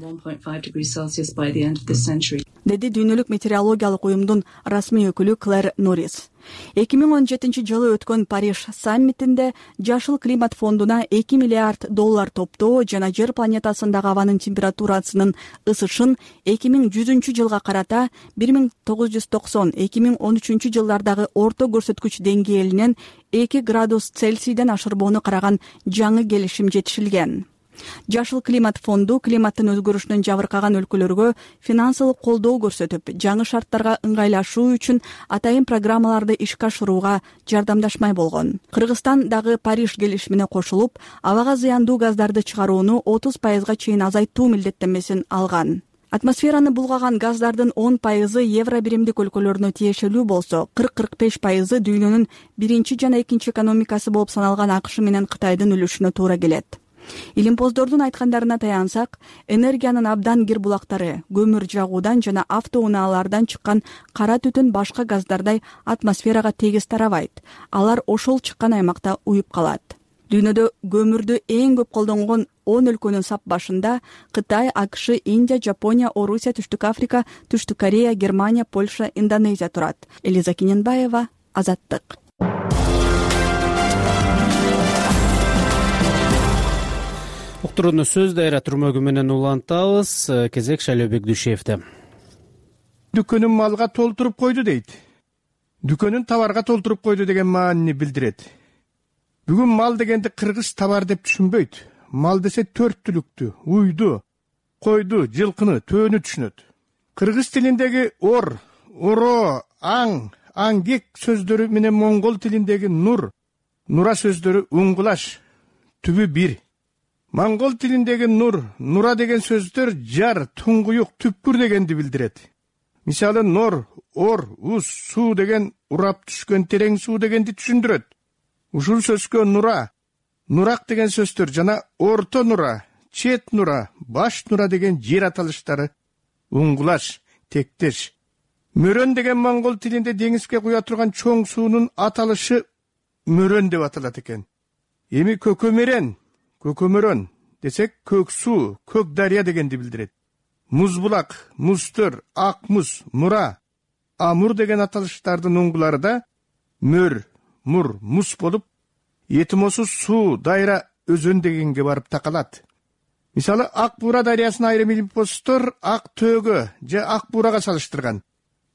деди Дүйнөлүк метеорологиялык уюмдун расмий өкүлү Клэр Норрис. 2017 жылы өткөн Париж саммитинде Жашыл климат фондуна $2 миллиард топтоо жана Жер планетасындагы абанын температурасынын ысышын 2100 жылга карата 1990-2013 жылдардагы орто көрсөткүч деңгээлинен 2 градус Цельсийден ашырбоону караган жаңы келишим жетишилген. Жашыл климат фонду климаттын өзгөрүшүнөн жабыркаган өлкөлөргө финансылык колдоо көрсөтүп, жаңы шарттарга ыңгайлашуу үчүн атайын программаларды ишке ашырууга жардамдашмай болгон. Кыргызстан дагы Париж келишимине кошулуп, абага зыяндуу газдарды чыгарууну 30% чейин азайтуу милдеттенмесин алган. Атмосфераны булгаган газдардын 10% евро биримдик өлкөлөрүнө тиешелүү болсо, 40-45% дүйнөнүн биринчи жана экинчи экономикасы болуп саналган АКШ менен Кытайдын үлүшүнө туура келет. Илимпоздордун айткандарына таянсак, энергиянын абдан кир булактары, көмүр жагуудан жана автоунаалардан чыккан кара түтүн башка газдардай атмосферага тегиз тарабайт. Алар ошол чыккан аймакта уюп калат. Дүйнөдө көмүрдү эң көп колдонгон 10 өлкөнүн сап башында Кытай, АКШ, Индия, Жапония, Орусия, Түштүк Африка, Түштүк Корея, Германия, Польша, Индонезия турат. Элиза Кененбаева, Азаттык. Уктурууну сөз дайра түрмөгү менен улантабыз. Кезек Шайлообек Дүйшеевде. Дүкөнүн малга толтуруп койду дейт. Дүкөнүн товарга толтуруп койду деген маанини билдирет. Бүгүн мал дегенди кыргыз товар деп түшүнбөйт. Мал десе 4 түлүктү, уйду, койду, жылкыны, төөнү түшүнөт. Кыргыз тилиндеги ор, оро, аң, аңгек сөздөрү менен моңгол тилиндеги нур, нура сөздөрү уңгулаш, түбү бир. Моңгол тилиндеги нур, нура деген сөздөр жар, туңгуюк, түпкүр дегенди билдирет. Мисалы нор, ор, уз, суу деген урап түшкөн терең суу дегенди түшүндүрөт. Ушул сөзгө нура, нурак деген сөздөр жана орто нура, чет нура, баш нура деген жер аталыштары уңгулаш, тектеш. Мөрөн деген моңгол тилинде деңизге куя турган чоң суунун аталышы мөрөн деп аталат экен. Эми көкөмөрөн десек көк суу, көк дарыя дегенди билдирет. Музбулак, музтөр, ак муз, мура, амур деген аталыштардын уңгулары да мөр, мур, муз болуп, этимосуз суу, дайра, өзөн дегенге барып такалат. Мисалы, Ак Буура дарыясын айрым илимпоздор ак төөгө же ак буурага салыштырган.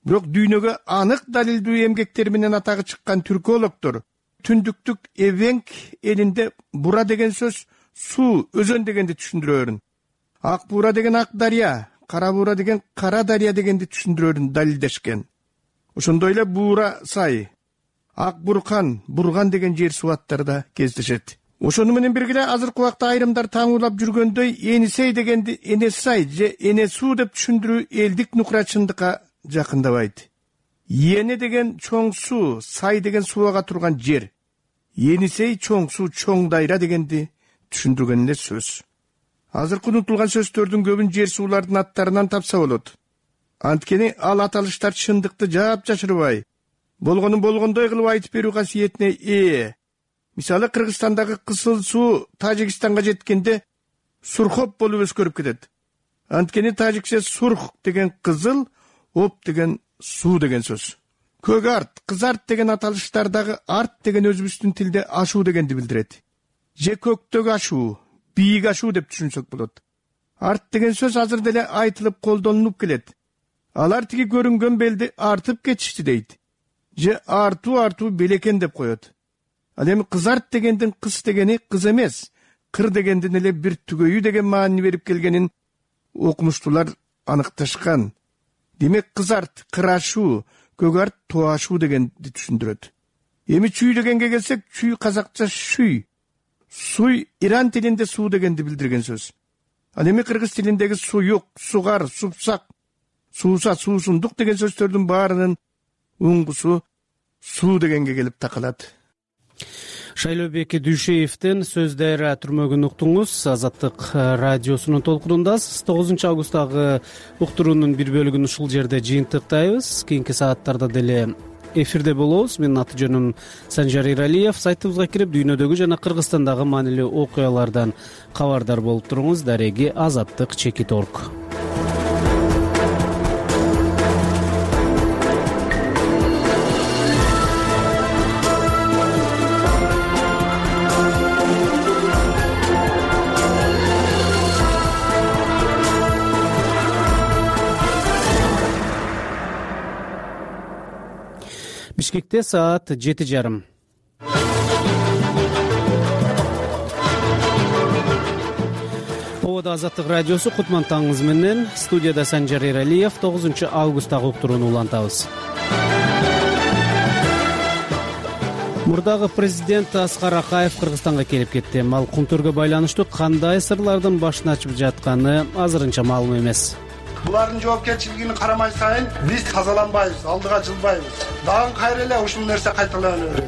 Бирок дүйнөгө анык далилдүү эмгектери менен атагы чыккан түркологдор түндүктүк Эвенк элинде бура деген сөз суу, өзөн дегенди түшүндүрөөрүн. Ак Буура деген ак дарыя, кара буура деген кара дарыя дегенди түшүндүрөөрүн далилдешкен. Ошондой эле Буура сай, Ак Буркан, Бурган деген жер суу аттары да кездешет. Ошону менен бирге азыркы убакта айрымдар таңуулап жүргөндөй Энисей дегенди Энесай же Энесуу деп түшүндүрүү элдик нукура чындыкка жакындабайт. Эне деген чоң суу, сай деген суу ага турган жер. Енисей чоң суу, чоң дайра дегенди түшүндүргөн эле сөз. Азыркы унутулган сөздөрдүн көбүн жер суулардын аттарынан тапса болот. Анткени ал аталыштар чындыкты жашырбай, болгонун болгондой кылып айтып берүү касиетине ээ. Мисалы, Кыргызстандагы кысыл суу Тажикстанга жеткенде Сурхоп болуп өзгөрүп кетет. Анткени тажикче сурх деген кызыл, оп деген суу деген сөз. Көк арт, кыз арт деген аталыштардагы арт деген өзүбүздүн тилде ашуу дегенди билдирет. Же көктөгү ашуу, бийик ашуу деп түшүнсөк болот. Арт деген сөз азыр деле айтылып колдонулуп келет. Алар тиги көрүнгөн белди артып кетишти дейт. Же артуу белекен деп коет. Ал эми кыз арт дегендин кыз дегени кыз эмес, кыр дегендин эле бир түгөйү деген маани берип келгенин окумуштуулар аныкташкан. Демек кыз арт кырашуу, көк арт туашуу дегенди түшүндүрөт. Эми чүй дегенге келсек, чүй казакча шүй. Суй Иран тилинде суу дегенди билдирген сөз. Ал эми кыргыз тилиндеги суюк, сугар, супсак, сууса, суусундук деген сөздөрдүн баарынын уңгусу суу дегенге келип такалат. Шайлообек Дүйшеевдин сөз дайра түрмөгүн уктуңуз. Азаттык радиосунун толкунундасыз. 9 августтагы уктуруунун бир бөлүгүн ушул жерде жыйынтыктайбыз. Кийинки сааттарда деле эфирде болобуз. Менин аты жөнүм Санжар Иралиев. Сайтыбызга кирип дүйнөдөгү жана Кыргызстандагы маанилүү окуялардан кабардар болуп туруңуз. Дареги azattik.org. Бишкекте саат 7:30. Обода Азаттык радиосу, кутман таңыңыз менен. Студияда Санжар Иралиев. 9 августтагы уктурууну улантабыз. Мурдагы президент Аскар Акаев Кыргызстанга келип кетти. Ал кумтөргө байланыштуу кандай сырлардын башын ачып жатканы азырынча маалым эмес. Булардын жоопкерчилигине карамай сайын биз тазаланбайбыз, алдыга жылбайбыз. Дагы кайра эле ушул нерсе кайталана берет.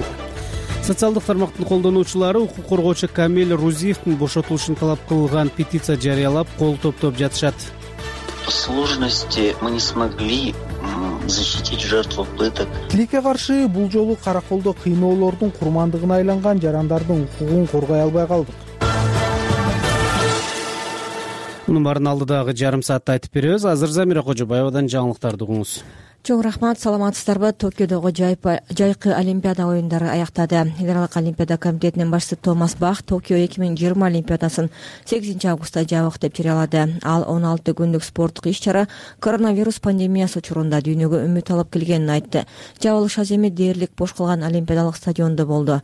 Социалдык тармактын колдонуучулары укук коргоочу Камиль Рузиевдин бошотулушун талап кылган петиция жарыялап, кол топтоп жатышат. По сложности мы не смогли защитить жертву пыток. Тилекке каршы бул жолу караколдо кыйноолордун курмандыгына айланган жарандардын укугун коргой албай калдык. Мунун баарын алдыдагы жарым саатта айтып беребиз. Азыр Замира Кожобаевадан жаңылыктарды угуңуз. Чоң рахмат, саламатсыздарбы? Токиодогу жайкы Олимпиада оюндары аяктады. Эл аралык Олимпиада комитетинин башчысы Томас Бах Токио 2020 Олимпиадасын 8 августта жабык деп жарыялады. Ал 16 күндүк спорттук иш-чара коронавирус пандемиясы учурунда дүйнөгө үмүт алып келгенин айтты. Жабылыш аз эми дээрлик бош калган Олимпиадалык стадиондо болду.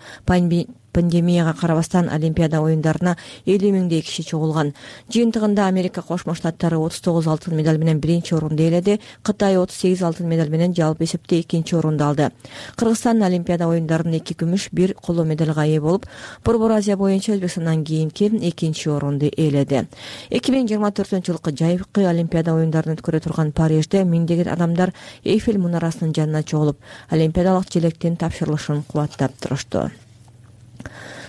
Пандемияга карабастан Олимпиада оюндарына 50 миңдей киши чогулган. Жыйынтыгында Америка Кошмо Штаттары 39 алтын медаль менен биринчи орунду ээледи. Кытай 38 алтын медаль менен жалпы эсепте экинчи орунду алды. Кыргызстан Олимпиада оюндарынын 2 күмүш, 1 коло медалга ээ болуп, Борбор Азия боюнча Өзбекстандан кийинки экинчи орунду ээледи. 2024-жылкы жайкы Олимпиада оюндарын өткөрө турган Парижде миңдеген адамдар Эйфель мунарасынын жанына чогулуп, Олимпиадалык желектин тапшырылышын кубаттап турушту.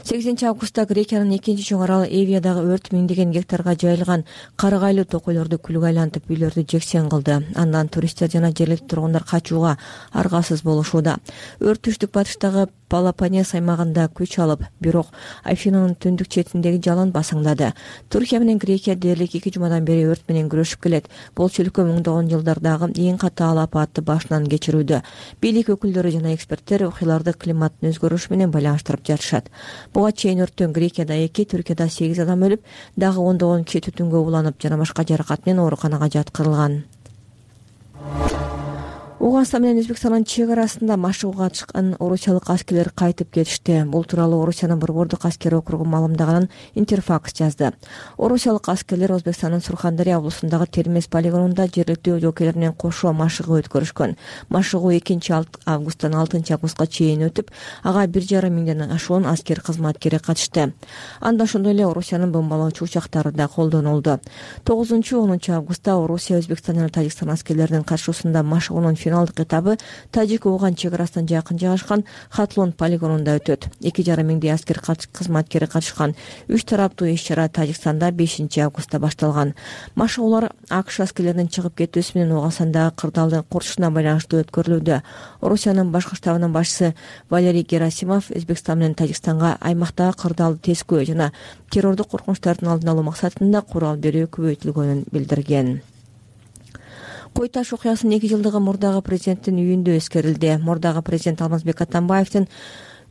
8 августта Грекиянын экинчи чоң аралы Эвиядагы өрт миңдеген гектарга жайылган карыгайлуу токойлорду күлгө айлантып, үйлөрдү жексен кылды. Андан туристтер жана жергиликтүү тургундар качууга аргасыз болушууда. Өрт түштүк батыштагы Пелопоннес аймагында күч алып, бирок Афинанын түндүк четиндеги жалын басаңдады. Туркия менен Грекия дээрлик 2 жумадан бери өрт менен күрөшүп келет. Бул чөлкө миңдөгөн жылдардагы эң катаал апатты башынан кечирүүдө. Бийлик өкүлдөрү жана эксперттер окуяларды климаттын өзгөрүшү менен байланыштырып жатышат. Буга чейин өрттөн Грекияда 2, Түркияда 8 адам өлүп, дагы ондогон киши түтүнгө уланып жана башка жаракат менен ооруканага жаткырылган. Уганстан менен Өзбекстандын чек арасында машыгууга чыккан орусиялык аскерлер кайтып кетишти. Бул тууралуу Орусиянын борбордук аскер округу маалымдаганын Интерфакс жазды. Орусиялык аскерлер Өзбекстандын Сурхандария облусундагы Термез полигонунда жергиликтүү жокейлер менен кошо машыгуу өткөрүшкөн. Машыгуу 2 августтан 6 августка чейин өтүп, ага 1,5 миңден ашуун аскер кызматкери катышты. Анда ошондой эле Орусиянын бомбалоочу учактары да колдонулду. 9-10 августта Орусия, Өзбекстан жана Тажикстан аскерлеринин катышуусунда машыгуунун финалдык этабы Тажик-Уган чек арасынан жакын жайгашкан Хатлон полигонунда өтөт. 2,5 миңдей аскер кызматкери катышкан 3 тараптуу иш-чара Тажикстанда 5 августта башталган. Машыгуулар АКШ аскерлеринин чыгып кетүүсү менен Уганстандагы кырдаалдын курчушуна байланыштуу өткөрүлүүдө. Орусиянын башкы штабынын башчысы Валерий Герасимов Өзбекстан менен Тажикстанга аймактагы кырдаалды тескөө жана террордук коркунучтардын алдын алуу максатында курал берүү көбөйтүлгөнүн билдирген. Кой таш окуясынын 2 жылдыгы мурдагы президенттин үйүндө эскерилди. Мурдагы президент Алмазбек Атамбаевдин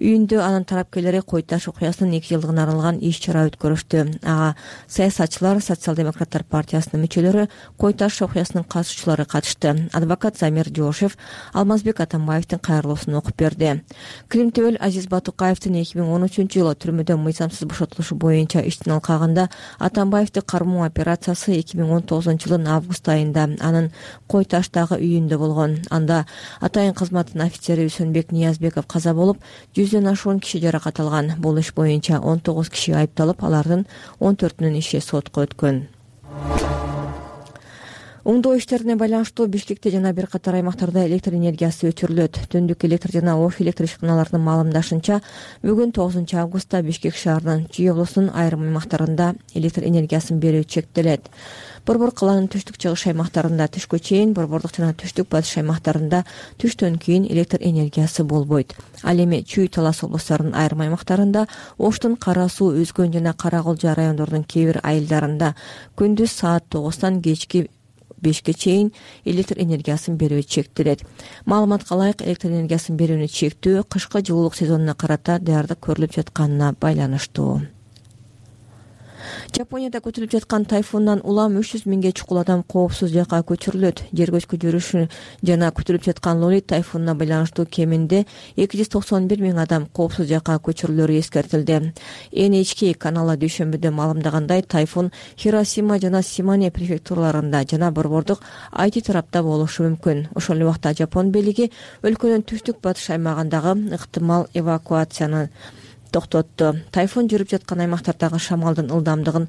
үйүндө анын тарапкерлери Кой таш окуясынын 2 жылдыгына арналган иш-чара өткөрүштү. Ага саясатчылар, Социал-демократтар партиясынын мүчөлөрү, Кой таш окуясынын катышуучулары катышты. Адвокат Замир Жошев Алмазбек Атамбаевдин кайрылуусун окуп берди. Кримтөбөл Азиз Батукаевдин 2013-жылы түрмөдөн мыйзамсыз бошотулушу боюнча иштин алкагында Атамбаевди кармоо операциясы 2019-жылдын август айында анын Кой таштагы үйүндө болгон. Анда атайын кызматтын офицери Үсөнбек Ниязбеков каза болуп, 100дөн ашуун киши жаракат алган. Бул иш боюнча 19 киши айыпталып, алардын 14-үнүн иши сотко өткөн. оңдоо иштерине байланыштуу Бишкекте жана бир катар аймактарда электр энергиясы өчүрүлөт. Түндүк электр жана ош электр ишканаларынын маалымдашынча, бүгүн 9 августта Бишкек шаарынын Чүй облусунун айрым аймактарында электр энергиясын берүү чектелет. Борбор каланын түштүк-чыгыш аймактарында түшкө чейин, борбордук жана түштүк-батыш аймактарында түштөн кийин электр энергиясы болбойт. Ал эми Чүй, Талас облустарынын айрым аймактарында, Оштун Кара Суу, Үзгөн жана Кара Кулжа райондорунун кээ бир айылдарында күндүз саат 9-тан кечки 5-ке чейин электр энергиясын берүү чектелет. Маалыматка ылайык, электр энергиясын берүүнү чектөө кышкы жылуулук сезонуна карата даярдык көрүлүп жатканына байланыштуу. Жапонияда көтөрүлүп жаткан тайфундан улам 300 миңге чукул адам коопсуз жакка көчүрүлөт. Жер көчкү жүрүшү жана көтөрүлүп жаткан Лолит тайфунуна байланыштуу кеминде 291 миң адам коопсуз жакка көчүрүлөрү эскертилди. NHK каналы дүйшөмбүдө маалымдагандай, тайфун Хиросима жана Симане префектураларында жана борбордук Айти тарапта болушу мүмкүн. Ошол эле убакта Жапон бийлиги ылкөнүн түштүк-батыш аймагындагы ыктымал эвакуацияны токтотту. Тайфун жүрүп жаткан аймактардагы шамалдын ылдамдыгы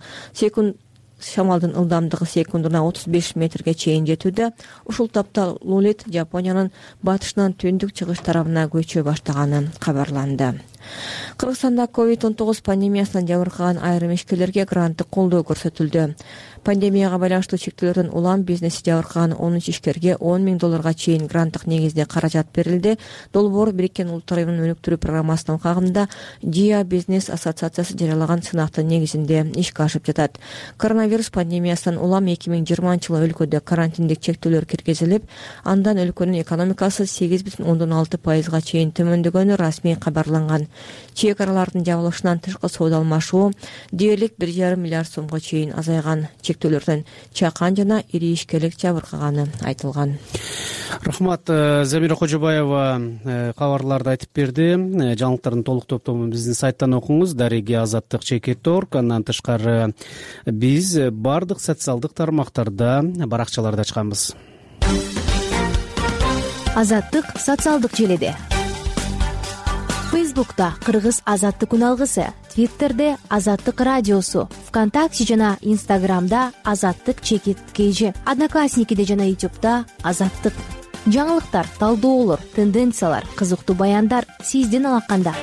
секундуна 35 метрге чейин жетүүдө. Ушул тапта Лолит Жапониянын батышынан түндүк-чыгыш тарабына көчө баштаганы кабарланды. Кыргызстанда COVID-19 пандемиясынан жабыркаган айрым ишкерлерге гранттык колдоо көрсөтүлдү. Пандемияга байланыштуу чектөөлөрдөн улам бизнеси жабыркаган 13 ишкерге $10 миң чейин гранттык негизде каражат берилди. Долбоор Бириккен Улуттар Уюмунун өнүктүрүү программасынын кагымында ЖИА бизнес ассоциациясы жарыялаган сынактын негизинде ишке ашып жатат. Коронавирус пандемиясынан улам 2020-жылы өлкөдө карантиндик чектөөлөр киргизилип, андан өлкөнүн экономикасы 8,6% чейин төмөндөгөнү расмий кабарланган. Чек аралардын жабылышынан тышкы соода алмашуу дээрлик 1,5 миллиард сомго чейин азайган. Чектөөлөрдөн чакан жана ири ишкерлик жабыркаганы айтылган. Рахмат, Замира Кожобаева кабарларды айтып берди. Жаңылыктардын толук топтомун биздин сайттан окуңуз. Дареги Азаттык.org. Андан тышкары биз бардык социалдык тармактарда баракчаларды ачканбыз. Азаттык социалдык желиде. Фейсбукта Кыргыз Азаттык күн алгысы, Твиттерде Азаттык радиосу, ВКонтакте жана Инстаграмда Азаттык_KG, Одноклассникиде жана Ютубта Азаттык. Жаңылыктар, талдоолор, тенденциялар, кызыктуу баяндар сиздин алаканда.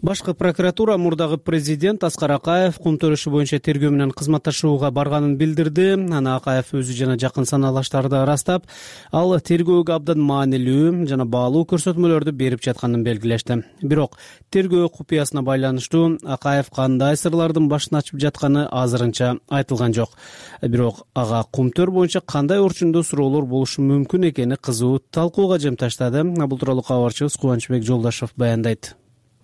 Башкы прокуратура мурдагы президент Аскар Акаев кум төрөшү боюнча тергөө менен кызматташууга барганын билдирди. Аны Акаев өзү жана жакын санаалаштарды ырастап, ал тергөөгө абдан маанилүү жана баалуу көрсөтмөлөрдү берип жатканын белгилешти. Бирок тергөө купуясына байланыштуу Акаев кандай сырлардын башын ачып жатканы азырынча айтылган жок. Бирок ага кум төр боюнча кандай орчундуу суроолор болушу мүмкүн экени кызуу талкууга жем таштады. Бул тууралуу кабарчыбыз Кубанычбек Жолдашев баяндайт.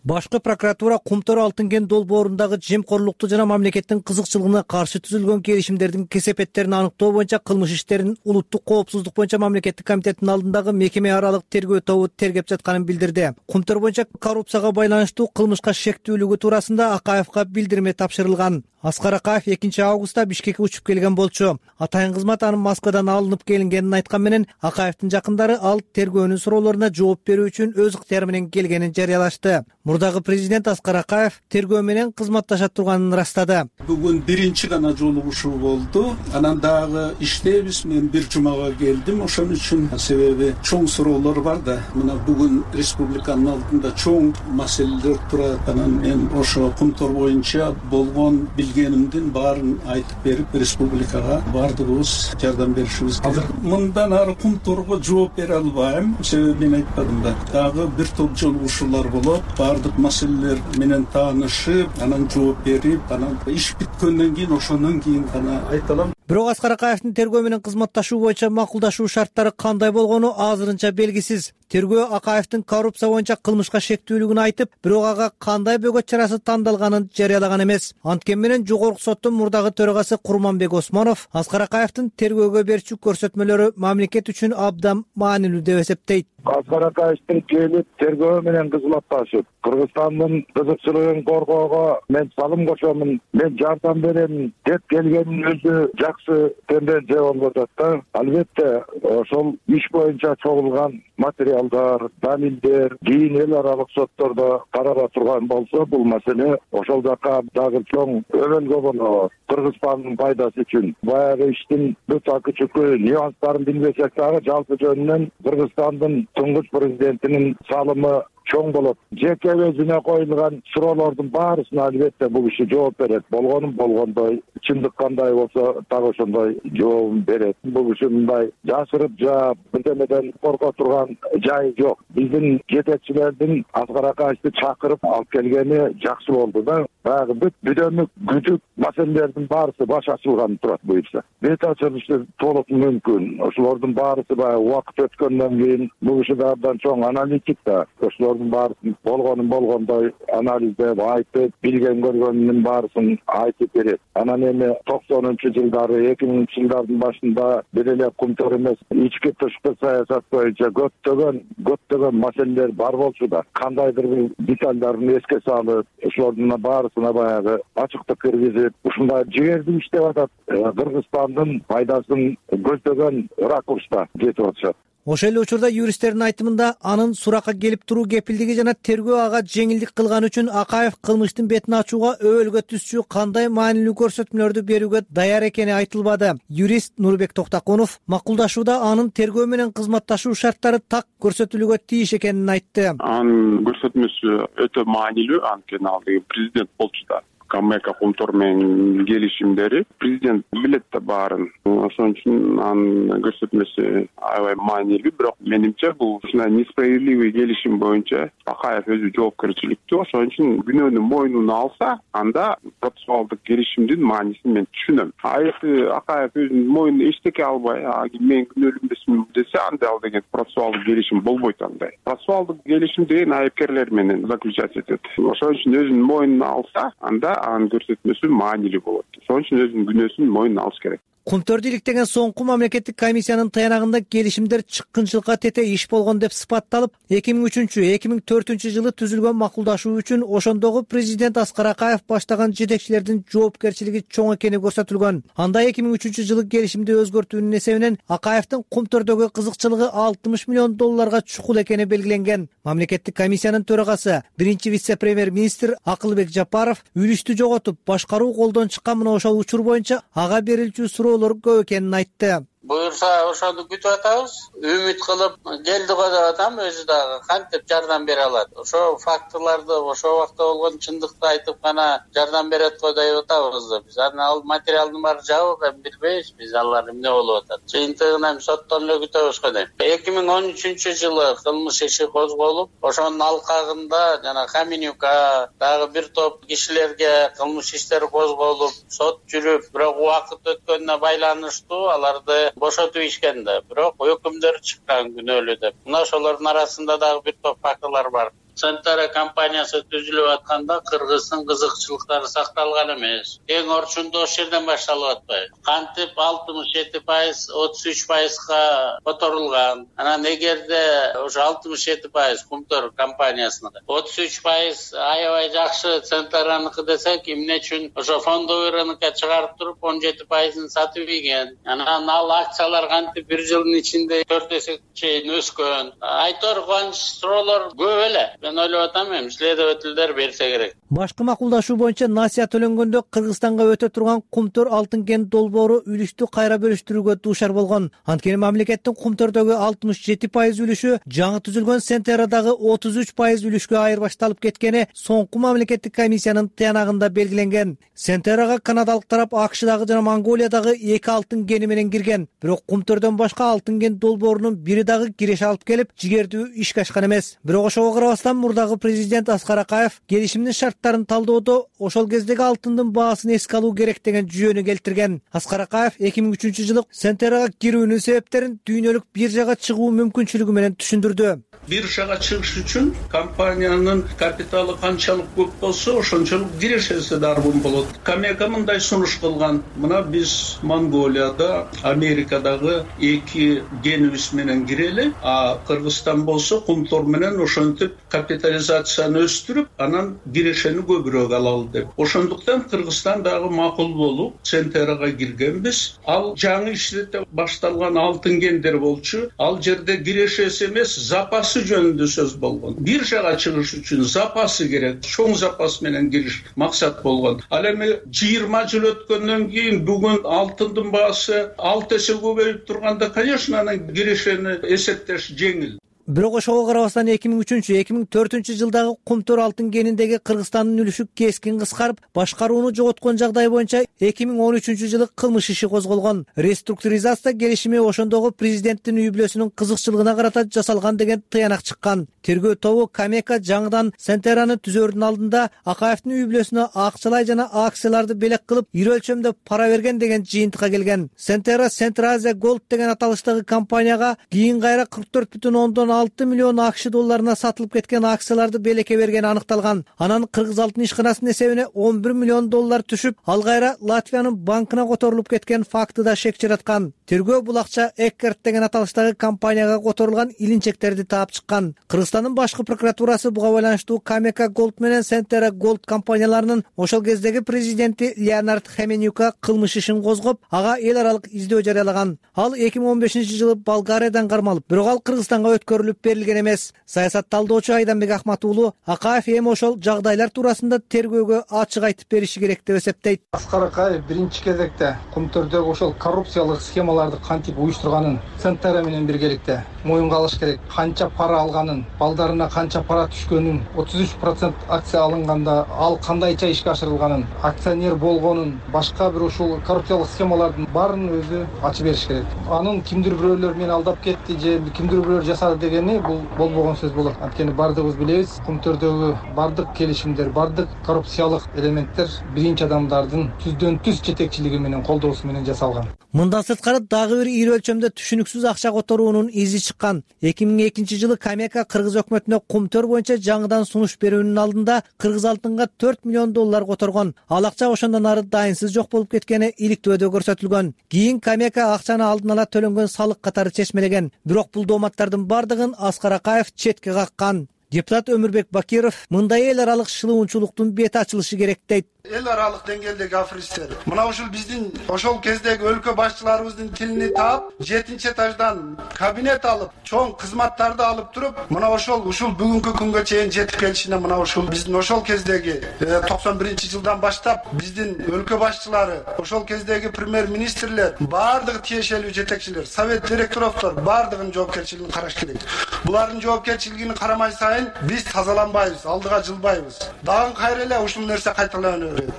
Башкы прокуратура Кумтөр Алтын кен долбоорундагы жемкорлукту жана мамлекеттин кызыкчылыгына каршы түзүлгөн келишимдердин кесепеттерин аныктоо боюнча кылмыш иштерин улуттук коопсуздук боюнча мамлекеттик комитеттин алдындагы мекеме аралык тергөө тобу тергеп жатканын билдирди. Кумтөр боюнча коррупцияга байланыштуу кылмышка шектүүлүгү туурасында Акаевга билдирме тапшырылган. Аскар Акаев 2 августта Бишкекке учуп келген болчу. Атайын кызмат анын Москвадан алынып келингенин айткан менен Акаевдин жакындары ал тергөөнүн суроолоруна жооп берүү үчүн өз ыктыяры менен келгенин жарыялашты. Мурдагы президент Аскар Акаев тергөө менен кызматташа турганын ырастады. Бүгүн биринчи гана жолугушуу болду. Анан дагы иштейбиз. Мен бир жумага келдим. Ошон үчүн себеби чоң суроолор бар да. Мына бүгүн республиканын алдында чоң маселелер турат. Анан мен ошо Кумтөр боюнча болгон билгенимдин баарын айтып берип, республикага бардыгыбыз жардам беришибиз керек. Мындан ары Кумтөргө жооп бере албайм. Себеби мен айтпадым да. Дагы бир топ жолугушуулар болот. Бардык маселелер менен таанышып, анан жооп берип, анан иш бүткөндөн кийин ошондон кийин гана айта алам. Бирок Аскар Акаевдин тергөө менен кызматташуу боюнча макулдашуу шарттары кандай болгону азырынча белгисиз. Тергөө Акаевдин коррупция боюнча кылмышка шектүүлүгүн айтып, бирок ага кандай бөгөт чарасы тандалганын жарыялаган эмес. Анткени менен жогорку соттун мурдагы төрагасы Курманбек Осмонов Аскар Акаевдин тергөөгө берчү көрсөтмөлөрү мамлекет үчүн абдан маанилүү деп эсептейт. Аскар Акаевдин келип тергөө менен кызматташып, Кыргызстандын кызыкчылыгын коргоого мен салым кошомун, мен жардам берем деп келгенин өзү жакшы тенденция болуп атат да. Албетте ошол иш боюнча чогулган материалдар, далилдер кийин эл аралык соттордо карала турган болсо, бул маселе ошол жака дагы чоң өбөлгө болот. Кыргызстандын пайдасы үчүн баягы иштин бүт акы-чүкү нюанстарын билбесек дагы жалпы жөнүнөн Кыргызстандын туңгуч президентинин салымы чоң болот. Жеке өзүнө коюлган суроолордун баарысына албетте бул киши жооп берет. Болгонун болгондой, чындык кандай болсо так ошондой жообун берет. Бул киши мындай жасырып жаап, бирдемеден корко турган жайы жок. Биздин жетекчилердин Аскар Акаевди чакырып алып келгени жакшы болду да. Баягы бүт бүдөмүк, күдүк маселелердин баарысы баш ачылган турат буюрса. Бет ачылышы толук мүмкүн. Ошолордун баарысы баягы убакыт өткөндөн кийин бул киши да абдан чоң аналитик да. Ошолордун баарысын болгонун болгондой анализдеп, айтып, билген көргөнүнүн баарысын айтып берет. Анан эми 90-жылдары, 2000-жылдардын башында бир эле Кумтөр эмес, ички тышкы саясат боюнча көптөгөн маселелер бар болчу да. Кандайдыр бир детальдарын эске салып, ошолордун баарысына баягы ачыктык киргизип, ушундай жигердүү иштеп атат. Кыргызстандын пайдасын көздөгөн ракурста кетип атышат. Ошол эле учурда юристтердин айтымында анын суракка келип туруу кепилдиги жана тергөө ага жеңилдик кылган үчүн Акаев кылмыштын бетин ачууга өбөлгө түзчү кандай маанилүү көрсөтмөлөрдү берүүгө даяр экени айтылбады. Юрист Нурбек Токтокунов макулдашууда анын тергөө менен кызматташуу шарттары так көрсөтүлүүгө тийиш экенин айтты. Анын көрсөтмөсү өтө маанилүү, анткени ал президент болчу да. Камека Кумтор менен келишимдери президент билет да баарын. Ошон үчүн анын көрсөтмөсү аябай маанилүү, бирок менимче бул ушундай несправедливый келишим боюнча Акаев өзү жоопкерчиликтүү. Ошон үчүн күнөөнү мойнуна алса, анда процессуалдык келишимдин маанисин мен түшүнөм. Если Акаев өзүнүн мойнуна эчтеке албай, мен күнөөлүү эмесмин десе, анда ал деген процессуалдык келишим болбойт андай. Процессуалдык келишим деген айыпкерлер менен заключать этет. Ошон үчүн өзүнүн мойнуна алса, анда анын көрсөтмөсү маанилүү болот. Ошон үчүн өзүнүн күнөөсүн мойнуна алыш керек. Кумтөрдү иликтеген соңку мамлекеттик комиссиянын таянагында келишимдер чыккынчылыкка тете иш болгон деп сыпатталып, 2003-2004 жылы түзүлгөн макулдашуу үчүн ошондогу президент Аскар Акаев баштаган жетекчилердин жоопкерчилиги чоң экени көрсөтүлгөн. Анда 2003 жылы келишимди өзгөртүүнүн эсебинен Акаевдин Кумтөрдөгү кызыкчылыгы $60 миллион чукул экени белгиленген. Мамлекеттик комиссиянын төрагасы, биринчи вице-премьер-министр Акылбек Жапаров үлүштү жоготуп, башкаруу колдон чыккан мына ошол учур боюнча ага берилчү суроолор көп экенин айтты. Буюрса ошону күтүп атабыз, үмүт кылып келди го деп атам, өзү дагы кантип жардам бере алат. Ошо фактыларды, ошол убакта болгон чындыкты айтып гана жардам берет го деп атабыз да. Биз ал материалдын баары жабык, билбейбиз биз алар эмне болуп атат. Жыйынтыгын эми соттон эле күтөбүз го дейм. 2013 жылы кылмыш иши козголуп, ошонун алкагында жана Каменюка дагы бир топ кишилерге кылмыш иштери козголуп, сот жүрүп, бирок убакыт өткөнүнө байланыштуу аларды бошотуп ишкен да, бирок өкүмдөр чыккан күнөөлүү деп. Мына ошолордун арасында дагы бир топ фактылар бар. Центара компаниясы түзүлүп атканда кыргыздын кызыкчылыктары сакталган эмес. Эң орчундуу ошол жерден башталып атпайбы? Кантип 67%, 33%га которулган. Анан эгерде ошо 67% Кумтөр компаниясыныкы, 33% аябай жакшы Центараныкы десек, эмне үчүн ошо фондовый рынокко чыгарып туруп 17%-ын сатып ийген. Анан ал акциялар кантип бир жылдын ичинде 4 эсе чейин өскөн. Айтор кубанч суроолор көп эле. Мен ойлоп атам, эми следовательдер берсе керек. Башкы макулдашуу боюнча насыя төлөнгөндө Кыргызстанга өтө турган Кумтөр алтын кен долбоору үлүштү кайра бөлүштүрүүгө дуушар болгон. Анткени мамлекеттин Кумтөрдөгү 67% үлүшү жаңы түзүлгөн Сентерадагы 33% үлүшкө айырбашталып кеткени соңку мамлекеттик комиссиянын таянагында белгиленген. Сентерага канадалык тарап АКШдагы жана Монголиядагы 2 алтын кени менен кирген. Бирок Кумтөрдөн башка алтын кен долбоорунун бири дагы киреше алып келип, жигердүү ишке ашкан эмес. Бирок ошого карабастан мурдагы президент Аскар Акаев келишимдин шарттарын талдоодо ошол кездеги алтындын баасын эске алуу керек деген жүйөнү келтирген. Аскар Акаев 2003 жылы Сентерага кирүүнүн себептерин дүйнөлүк биржага чыгуу мүмкүнчүлүгү менен түшүндүрдү. Биржага чыгыш үчүн компаниянын капиталы канчалык көп болсо, ошончолук кирешеси дарбын болот. Камека мындай сунуш кылган. Мына биз Монголияда, Америкадагы 2 генибиз менен кирели, а Кыргызстан болсо Кумтор менен ошентип капитализацияны өстүрүп, анан кирешени көбүрөөк алалы деп. Ошондуктан Кыргызстан дагы макул болуп Центерага киргенбиз. Ал жаңы иштете башталган алтын кендер болчу. Ал жерде кирешеси эмес, запасы жөнүндө сөз болгон. Биржага чыгыш үчүн запасы керек. Чоң запас менен кириш максат болгон. Ал эми 20 жыл өткөндөн кийин бүгүн алтындын баасы 6 эсе көбөйүп турганда, конечно, анан кирешени эсептеш жеңил. Бирок ошого карабастан 2003-2004 жылдагы кумтөр алтын кениндеги Кыргызстандын үлүшү кескин кыскарып, башкарууну жоготкон жагдай боюнча 2013 жылы кылмыш иши козголгон. Реструктуризация келишими ошондогу президенттин үй бүлөсүнүн кызыкчылыгына карата жасалган деген тыянак чыккан. Тергөө тобу Камека жаңыдан Центераны түзөрдүн алдында Акаевдин үй бүлөсүнө акчалай жана акцияларды белек кылып, ири өлчөмдө пара берген деген жыйынтыкка келген. Центера Централиза Голд деген аталыштагы компанияга кийин кайра 44,6 миллион АКШ долларына сатылып кеткен акцияларды белекке бергени аныкталган. Анан Кыргыз алтын ишканасынын эсебине 11 миллион доллар түшүп, ал кайра Латвиянын банкына которулуп кеткен факты да шек жараткан. Тергөө бул акча Эккерт деген аталыштагы компанияга которулган илинчектерди таап чыккан. Кыргызстандын башкы прокуратурасы буга байланыштуу Камека Голд менен Центера Голд компанияларынын ошол кездеги президенти Леонард Хеменюка кылмыш ишин козгоп, ага эл аралык издөө жарыялаган. Ал 2015 жылы Болгариядан кармалып, бирок ал Кыргызстанга өткөрүлүп берилген эмес. Саясат талдоочу Айданбек Ахмат уулу Акаев эми ошол жагдайлар туурасында тергөөгө ачык айтып бериши керек деп эсептейт. Аскар Акаев биринчи кезекте кумтөрдөгү ошол коррупциялык схемаларды кантип уюштурганын Центера менен биргеликте моюнга алыш керек. Канча пара алганын, балдарына канча пара түшкөнүн, 33% акция алынганда ал кандайча ишке ашырылганын, акционер болгонун, башка бир ушул коррупциялык схемалардын баарын өзү ачып бериш керек. Анын кимдир бирөөлөр мени алдап кетти же кимдир бирөөлөр жасады дегени бул болбогон сөз болот. Анткени бардыгыбыз билебиз, кумтөрдөгү бардык келишимдер, бардык коррупциялык элементтер биринчи адамдардын түздөн түз жетекчилиги менен, колдоосу менен жасалган. Мындан сырткары дагы бир ири өлчөмдө түшүнүксүз акча которуунун изи чыккан. 2002 жылы Камека Кыргыз өкмөтүнө кумтөр боюнча жаңыдан сунуш берүүнүн алдында Кыргыз алтынга 4 миллион доллар которгон. Ал акча ошондон ары дайынсыз жок болуп кеткени иликтөөдө көрсөтүлгөн. Кийин Камека акчаны алдын ала төлөнгөн салык катары чечмелеген. Бирок бул дооматтардын бардыгын Аскар Акаев четке каккан. Депутат Өмүрбек Бакиров мындай эл аралык шылуунчулуктун бети ачылышы керек дейт. Эл аралык деңгээлдеги аферисттер мына ушул биздин ошол кездеги өлкө башчыларыбыздын тилини таап, 7-этаждан кабинет алып, чоң кызматтарды алып туруп, мына ушул бүгүнкү күнгө чейин жетип келишине мына ушул биздин ошол кездеги 91-жылдан баштап биздин өлкө башчылары, ошол кездеги премьер-министрлер, бардыгы тиешелүү жетекчилер, совет директорлор бардыгынын жоопкерчилигин караш керек. Булардын жоопкерчилигин карамай сайын биз тазаланбайбыз, алдыга жылбайбыз. Дагы кайра эле ушул нерсе кайталана берет.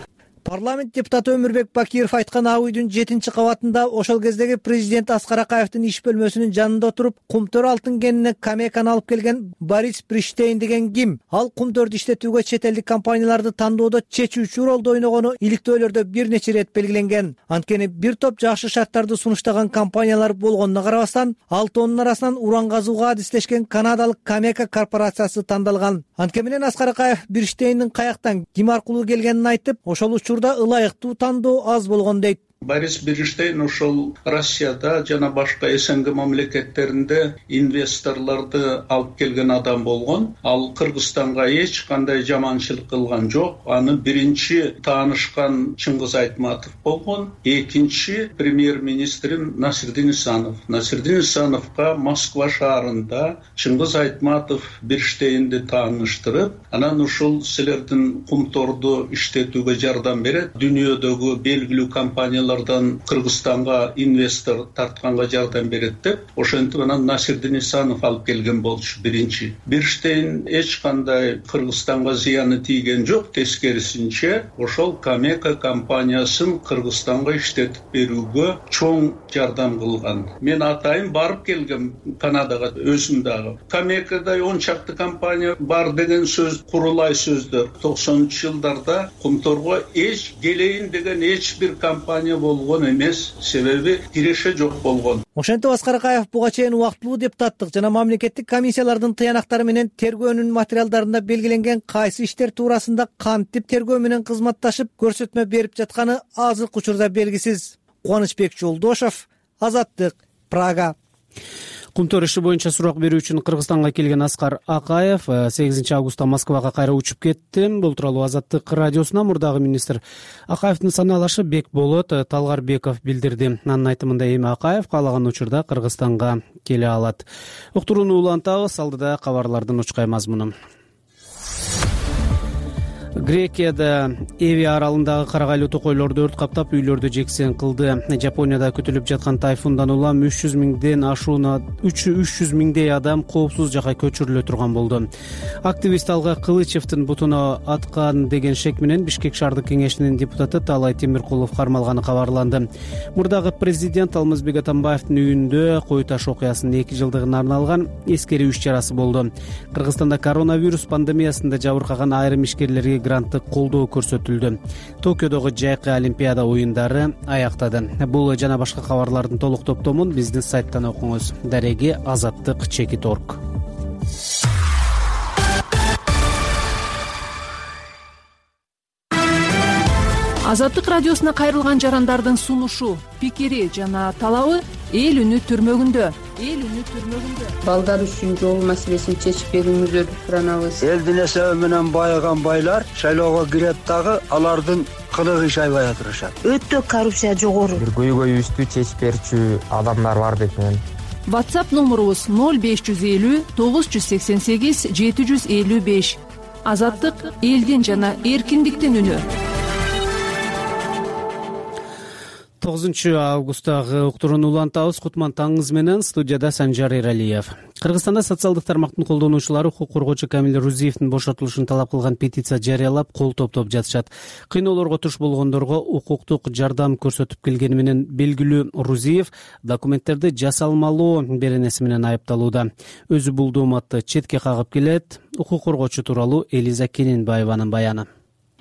Парламент депутаты Өмүрбек Бакиров айткан ак үйдүн 7-кабатында ошол кездеги президент Аскар Акаевдин иш бөлмөсүнүн жанында отуруп, кумтөр алтын кенине Камеканы алып келген Борис Бриштейн деген ким? Ал кумтөрдү иштетүүгө чет элдик компанияларды тандоодо чечүүчү ролду ойногону иликтөөлөрдө бир нече ирет белгиленген. Анткени бир топ жакшы шарттарды сунуштаган компаниялар болгонуна карабастан, алтоонун арасынан уран казууга адистешкен канадалык Камека корпорациясы тандалган. Анткени менен Аскар Акаев Бриштейндин каяктан, ким аркылуу келгенин айтып, ошол учурда ылайыктуу тандоо аз болгон дейт. Борис Бриштейн ошол Россияда жана башка СНГ мамлекеттеринде инвесторлорду алып келген адам болгон. Ал Кыргызстанга эч кандай жаманчылык кылган жок. Аны биринчи таанышкан Чыңгыз Айтматов болгон. Экинчи премьер-министрим Насирдин Исанов. Насирдин Исановго Москва шаарында Чыңгыз Айтматов Бриштейнди тааныштырып, анан ушул силердин кумторду иштетүүгө жардам берет, дүйнөдөгү белгилүү компаниялар Кыргызстанга инвестор тартканга жардам берет деп, ошентип анан Насирдин Исанов алып келген болчу биринчи. Бирштейн эч кандай Кыргызстанга зыяны тийген жок, тескерисинче ошол Камека компаниясын Кыргызстанга иштетип берүүгө чоң жардам кылган. Мен атайын барып келгем Канадага өзүм дагы. Камекада 10 чакты компания бар деген сөз курулай сөздөр. 90-жылдарда кумторго эч келейин деген эч бир компания болгон эмес, себеби киреше жок болгон. Ошентип Аскар Акаев буга чейин убактылуу депутаттык жана мамлекеттик комиссиялардын тыянактары менен тергөөнүн материалдарында белгиленген кайсы иштер туурасында кантип тергөө менен кызматташып көрсөтмө берип жатканы азыркы учурда белгисиз. Кубанычбек Жолдошов, Азаттык, Прага. Кумтөр иши боюнча сурак берүү үчүн Кыргызстанга келген Аскар Акаев 8 августта Москвага кайра учуп кетти. Бул тууралуу Азаттык радиосуна мурдагы министр Акаевдин санаалашы Бекболот Талгарбеков билдирди. Анын айтымында эми Акаев каалаган учурда Кыргызстанга келе алат. Уктурууну улантабыз, алдыда кабарлардын учкай мазмуну. Грекияда Эви аралындагы карагайлуу токойлорду өрт каптап, үйлөрдү жексен кылды. Жапонияда күтүлүп жаткан тайфундан улам 300 миңдей адам коопсуз жакка көчүрүлө турган болду. Активист Алга Кылычевдин бутуна аткан деген шек менен Бишкек шаардык кеңешинин депутаты Талай Темиркулов кармалганы кабарланды. Мурдагы президент Алмазбек Атамбаевдин үйүндө кой таш окуясынын 2 жылдыгына арналган эскерүү иш-чарасы болду. Кыргызстанда коронавирус пандемиясында жабыркаган айрым ишкерлерге гранттык колдоо көрсөтүлдү. Токиодогу жайкы Олимпиада оюндары аяктады. Бул жана башка кабарлардын толук топтомун биздин сайттан окуңуз. Дареги azattik.org. Азаттык радиосуна кайрылган жарандардын сунушу, пикири жана талабы эл үнү түрмөгүндө. Балдар үчүн жол маселесин чечип берүүңүздөрдү суранабыз. Элдин эсеби менен байыган байлар шайлоого кирет дагы алардын кылыгы иш аябай турушат. Өтө коррупция жогору. Бир көйгөйүбүздү чечип берчү адамдар бар деп мен. WhatsApp номерубуз 0550 988 755. Азаттык элдин жана эркиндиктин үнү. 9 августтагы уктурууну улантабыз. Кутман таңыңыз менен, студияда Санжар Эралиев. Кыргызстанда социалдык тармактын колдонуучулары укук коргоочу Камил Рузиевдин бошотулушун талап кылган петиция жарыялап, кол топтоп жатышат. Кыйноолорго туш болгондорго укуктук жардам көрсөтүп келгени менен белгилүү Рузиев документтерди жасалмалоо беренеси менен айыпталууда. Өзү бул дооматты четке кагып келет. Укук коргоочу тууралуу Элиза Кененбаеванын баяны.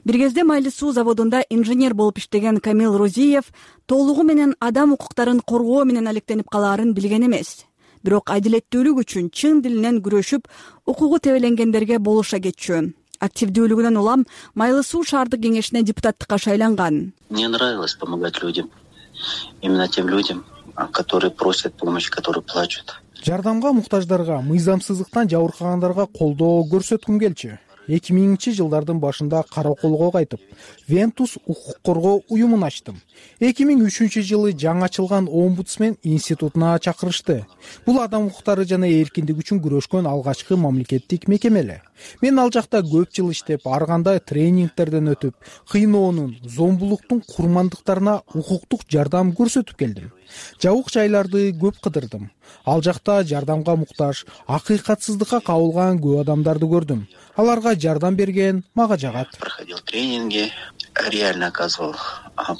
Бир кезде Майли суу заводунда инженер болуп иштеген Камил Рузиев толугу менен адам укуктарын коргоо менен алектенип калаарын билген эмес. Бирок адилеттүүлүк үчүн чын дилинен күрөшүп, укугу тебеленгендерге болуша кетчү. Активдүүлүгүнөн улам Майли суу шаардык кеңешине депутаттыкка шайланган. Мне нравилось помогать людям. Именно тем людям, которые просят помощи, которые плачут. Жардамга муктаждарга, мыйзамсыздыктан жабыркагандарга колдоо көрсөткүм келчү. 2000-жылдардын башында Караколго кайтып, Вентус укук коргоо уюмун ачтым. 2003-жылы жаңы ачылган Омбудсмен институтуна чакырышты. Бул адам укуктары жана эркиндик үчүн күрөшкөн алгачкы мамлекеттик мекеме эле. Мен ал жакта көп жыл иштеп, ар кандай тренингтерден өтүп, кыйноонун, зомбулуктун курмандыктарына укуктук жардам көрсөтүп келдим. Жабык жайларды көп кыдырдым. Ал жакта жардамга муктаж, акыйкатсыздыкка кабылган көп адамдарды көрдүм. Аларга жардам берген мага жагат. Проходил тренинги, реально оказывал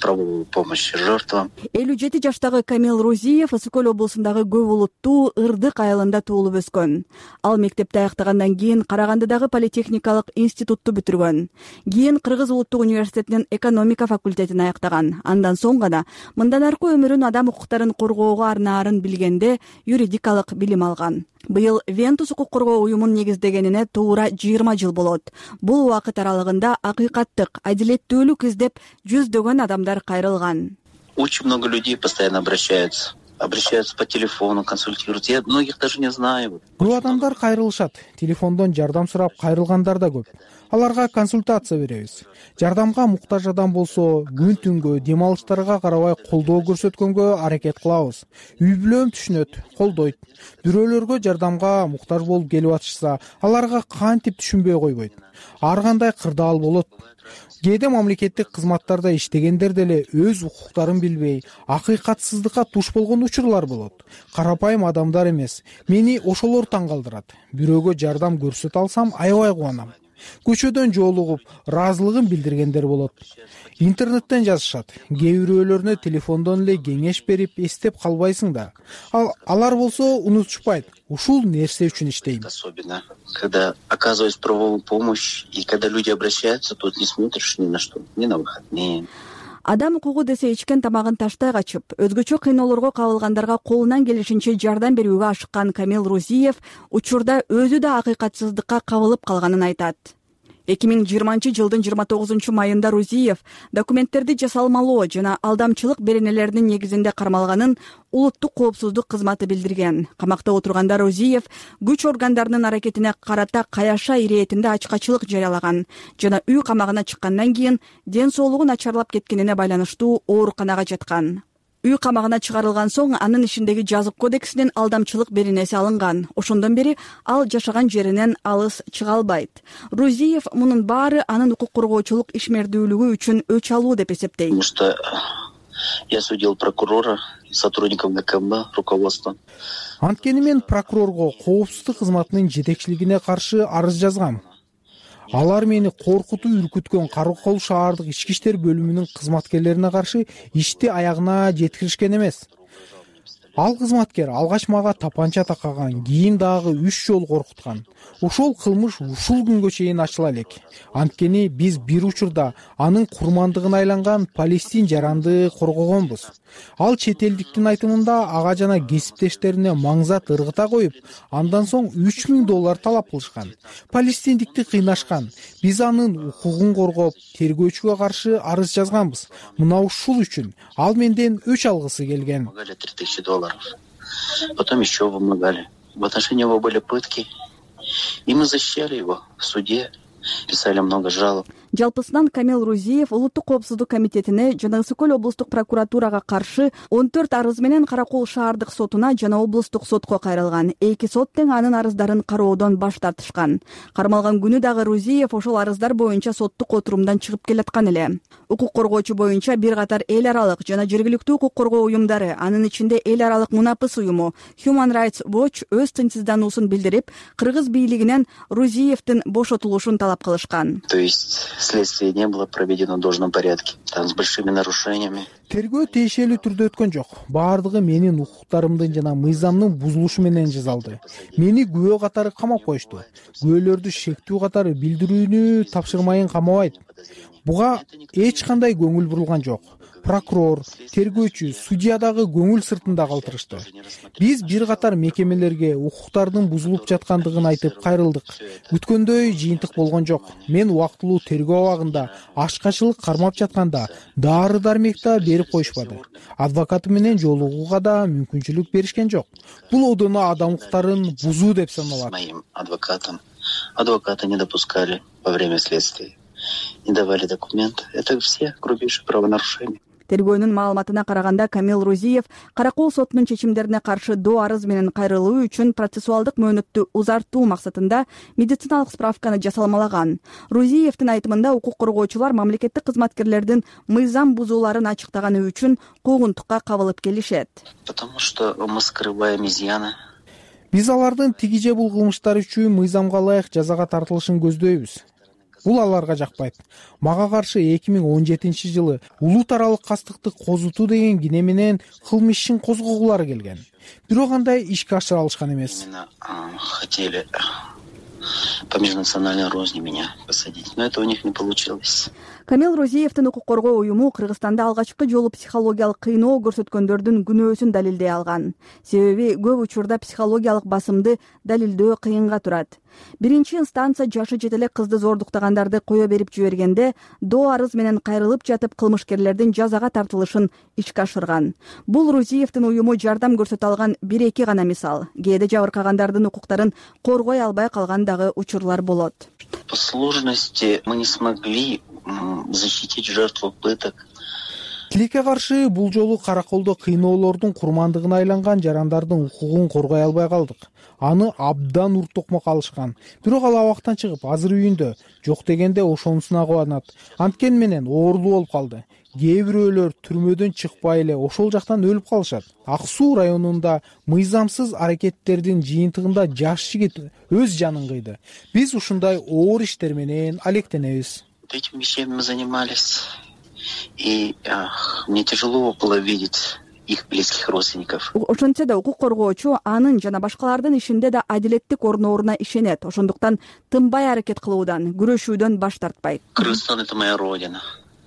правовую помощь жертвам. 57 жаштагы Камил Рузиев Ысык Көл облусундагы Көп улуттуу Ырдык айылында туулуп өскөн. Ал мектепти аяктагандан кийин Карагандыдагы политехникалык институтту бүтүргөн. Кийин Кыргыз улуттук университетинин экономика факультетин аяктаган. Андан соң гана мындан аркы өмүрүн адам укуктарын коргоого арнаарын билгенде юридикалык билим алган. Быйыл Вентус укук коргоо уюмун негиздегенине туура 20 жыл болот. Бул убакыт аралыгында акыйкаттык, адилеттүүлүк издеп жүздөгөн адамдар кайрылган. Очень много людей постоянно обращаются по телефону, консультируются. Я многих даже не знаю. Көп адамдар кайрылышат. Телефондон жардам сурап кайрылгандар да көп. Аларга консультация беребиз. Жардамга муктаж адам болсо, күн түнгө, дем алыштарга карабай колдоо көрсөткөнгө аракет кылабыз. Үй бүлөм түшүнөт, колдойт. Бирөөлөргө жардамга муктаж болуп келип атышса, аларга кантип түшүнбөй койбойт. Ар кандай кырдаал болот. Кээде мамлекеттик кызматтарда иштегендер деле өз укуктарын билбей, акыйкатсыздыкка туш болгон учурлар болот. Карапайым адамдар эмес. Мени ошолор таң калтырат. Бирөөгө жардам көрсөтө алсам, аябай кубанам. Көчөдөн жолугуп, ыраазылыгын билдиргендер болот. Интернеттен жазышат. Кээ бирөөлөрүнө телефондон эле кеңеш берип, эстеп калбайсың да. Алар болсо унутушпайт. Ушул нерсе үчүн иштейм. Особенно, когда оказывают правовую помощь, и когда люди обращаются, тут не смотришь ни на что, ни на выходные. Адам укугу десе ичкен тамагын таштай качып, өзгөчө кыйноолорго кабылгандарга колунан келишинче жардам берүүгө ашыккан Камил Рузиев учурда өзү да акыйкатсыздыкка кабылып калганын айтат. 2020-жылдын 29-майында Рузиев документтерди жасалмалоо жана алдамчылык беренелеринин негизинде кармалганын улуттук коопсуздук кызматы билдирген. Камакта отурганда Рузиев күч органдарынын аракетине карата каяша иретинде ачкачылык жарыялаган жана үй камагына чыккандан кийин ден соолугу начарлап кеткенине байланыштуу ооруканага жаткан. Үй камагына чыгарылган соң анын ишиндеги жазык кодексинин алдамчылык беренеси алынган. Ошондон бери ал жашаган жеринен алыс чыга албайт. Рузиев мунун баары анын укук коргоочулук ишмердүүлүгү үчүн өч алуу деп эсептейт. Потому что я судил прокурора, сотрудников ГКМ, руководства. Анткени мен прокурорго коопсуздук кызматынын жетекчилигине каршы арыз жазгам. Алар мени коркутуп үркүткөн Каракол шаардык ички иштер бөлүмүнүн кызматкерлерине каршы ишти аягына жеткиришкен эмес. Ал кызматкер алгач мага тапанча такаган, кийин дагы 3 жолу коркуткан. Ошол кылмыш ушул күнгө чейин ачыла элек. Анткени биз бир учурда анын курмандыгына айланган Палестин жаранды коргогонбуз. Ал чет элдиктин айтымында ага жана кесиптештерине маңзат ыргыта коюп, андан соң $3000 талап кылышкан. Палестиндикти кыйнашкан. Биз анын укугун коргоп, тергөөчүгө каршы арыз жазганбыз. Мына ушул үчүн ал менден өч алгысы келген. $3000. Потом еще вымогали. В отношении его были пытки. И мы защищали его в суде, писали много жалоб. Жалпысынан Камил Рузиев улуттук коопсуздук комитетине жана Ысык Көл облустук прокуратурага каршы 14 арыз менен Каракол шаардык сотуна жана облустук сотко кайрылган. Эки сот тең анын арыздарын кароодон баш тартышкан. Кармалган күнү дагы Рузиев ошол арыздар боюнча соттук отурумдан чыгып келаткан эле. Укук коргоочу боюнча бир катар эл аралык жана жергиликтүү укук коргоо уюмдары, анын ичинде эл аралык мунапыс уюму Human Rights Watch өз тынчсыздануусун билдирип, кыргыз бийлигинен Рузиевдин бошотулушун талап кылышкан. То есть следствие не было проведено в должном порядке, там с большими нарушениями. Тергөө тиешелүү түрдө өткөн жок. Баардыгы менин укуктарымдын жана мыйзамдын бузулушу менен жасалды. Мени күбө катары камап коюшту. Күбөлөрдү шектүү катары билдирүүнү тапшырмайын камабайт. Буга эч кандай көңүл бурулган жок. Прокурор, тергөөчү, судья дагы көңүл сыртында калтырышты. Биз бир катар мекемелерге укуктардын бузулуп жаткандыгын айтып кайрылдык. Күткөндөй жыйынтык болгон жок. Мен убактылуу тергөө абагында ачкачылык кармап жатканда дары дармекта берип коюшпады. Адвокаты менен жолугууга да мүмкүнчүлүк беришкен жок. Бул одоно адам укуктарын бузуу деп саналат. Моим адвокатам адвокаты не допускали во время следствия, не давали документ. Это все грубейшие правонарушения. Тергөөнүн маалыматына караганда Камил Рузиев Каракол сотунун чечимдерине каршы доо арыз менен кайрылуу үчүн процессуалдык мөөнөттү узартуу максатында медициналык справканы жасалмалаган. Рузиевдин айтымында укук коргоочулар мамлекеттик кызматкерлердин мыйзам бузууларын ачыктаганы үчүн куугунтукка кабылып келишет. Потому что мы скрываем изъяны. Биз алардын тиги же бул кылмыштары үчүн мыйзамга ылайык жазага тартылышын көздөйбүз. Бул аларга жакпайт. Мага каршы 2017-жылы улут аралык кастыкты козутуу деген кине менен кылмыш ишин козгогулары келген. Бирок андай ишке ашыра алышкан эмес. Хотели по межнациональной розни меня посадить, но это у них не получилось. Камил Рузиевдин укук коргоо уюму Кыргызстанда алгачкы жолу психологиялык кыйноо көрсөткөндөрдүн күнөөсүн далилдей алган. Себеби көп учурда психологиялык басымды далилдөө кыйынга турат. Биринчи инстанция жашы жете элек кызды зордуктагандарды кое берип жибергенде доо арыз менен кайрылып жатып кылмышкерлердин жазага тартылышын ишке ашырган. Бул Рузиевдин уюму жардам көрсөтө алган 1-2 гана мисал. Кээде жабыркагандардын укуктарын коргой албай калган дагы учурлар болот. По сложности мы не смогли защитить жертву пыток. Тилекке каршы бул жолу Караколдо кыйноолордун курмандыгына айланган жарандардын укугун коргой албай калдык. Аны абдан уртокмок алышкан. Бирок ал абактан чыгып азыр үйүндө, жок дегенде ошонусуна кубанат. Анткени менен оорулуу болуп калды. Кээ бирөөлөр түрмөдөн чыкпай эле ошол жактан өлүп калышат. Ак Суу районунда мыйзамсыз аракеттердин жыйынтыгында жаш жигит өз жанын кыйды. Биз ушундай оор иштер менен алектенебиз. Этими вещами мы занимались, и мне тяжело было видеть их близких родственников. Ошентсе да укук коргоочу анын жана башкалардын ишинде да адилеттик орнооруна ишенет. Ошондуктан тынбай аракет кылуудан, күрөшүүдөн баш тартпайт. Кыргызстан — это моя родина.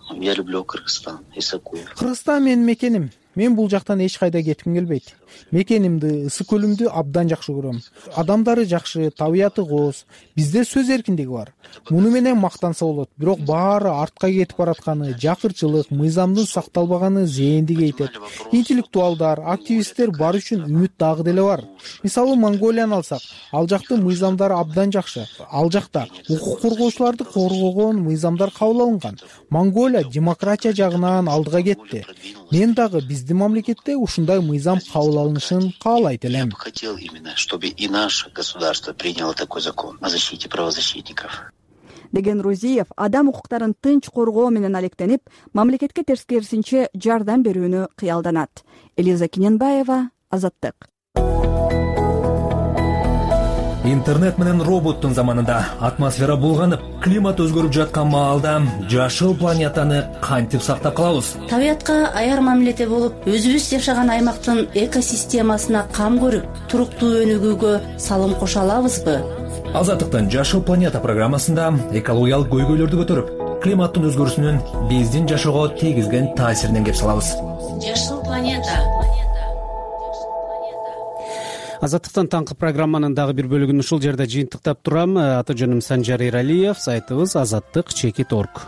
Я люблю Кыргызстан, Ысык Көл. Кыргызстан менин мекеним. мен бул жактан эч кайда кетким келбейт. Мекенимди, ысык көлүмдү абдан жакшы көрөм. Адамдары жакшы, табияты кооз. Бизде сөз эркиндиги бар. Муну менен мактанса болот, бирок баары артка кетип баратканы, жакырчылык, мыйзамдын сакталбаганы зээнди кейтет. Интеллектуалдар, активисттер бар үчүн үмүт дагы деле бар. Мисалы Монголияны алсак, ал жактын мыйзамдары абдан жакшы. Ал жакта укук коргоочуларды коргогон мыйзамдар кабыл алынган. Монголия демократия жагынан алдыга кетти. Мен дагы биздин мамлекетте ушундай мыйзам кабыл алынышын каалайт элем. Я бы хотел именно, чтобы и наше государство приняло такой закон о защите правозащитников. Деген Рузиев адам укуктарын тынч коргоо менен алектенип, мамлекетке терскерисинче жардам берүүнү кыялданат. Элиза Киненбаева, Азаттык. Интернет менен роботтун заманында атмосфера булганып, климат өзгөрүп жаткан маалда жашыл планетаны кантип сактап калабыз? Табиятка аяр мамиледе болуп, өзүбүз жашаган аймактын экосистемасына кам көрүп, туруктуу өнүгүүгө салым кошо алабызбы? Азаттыктын Жашыл планета программасында экологиялык көйгөйлөрдү көтөрүп, климаттын өзгөрүүсүнүн биздин жашоого тийгизген таасиринен кеп салабыз. Жашыл планета. Азаттыктан таңкы программанын дагы бир бөлүгүн ушул жерде жыйынтыктап турам. Аты жөнүм Санжар Эралиев, сайтыбыз azattik.org.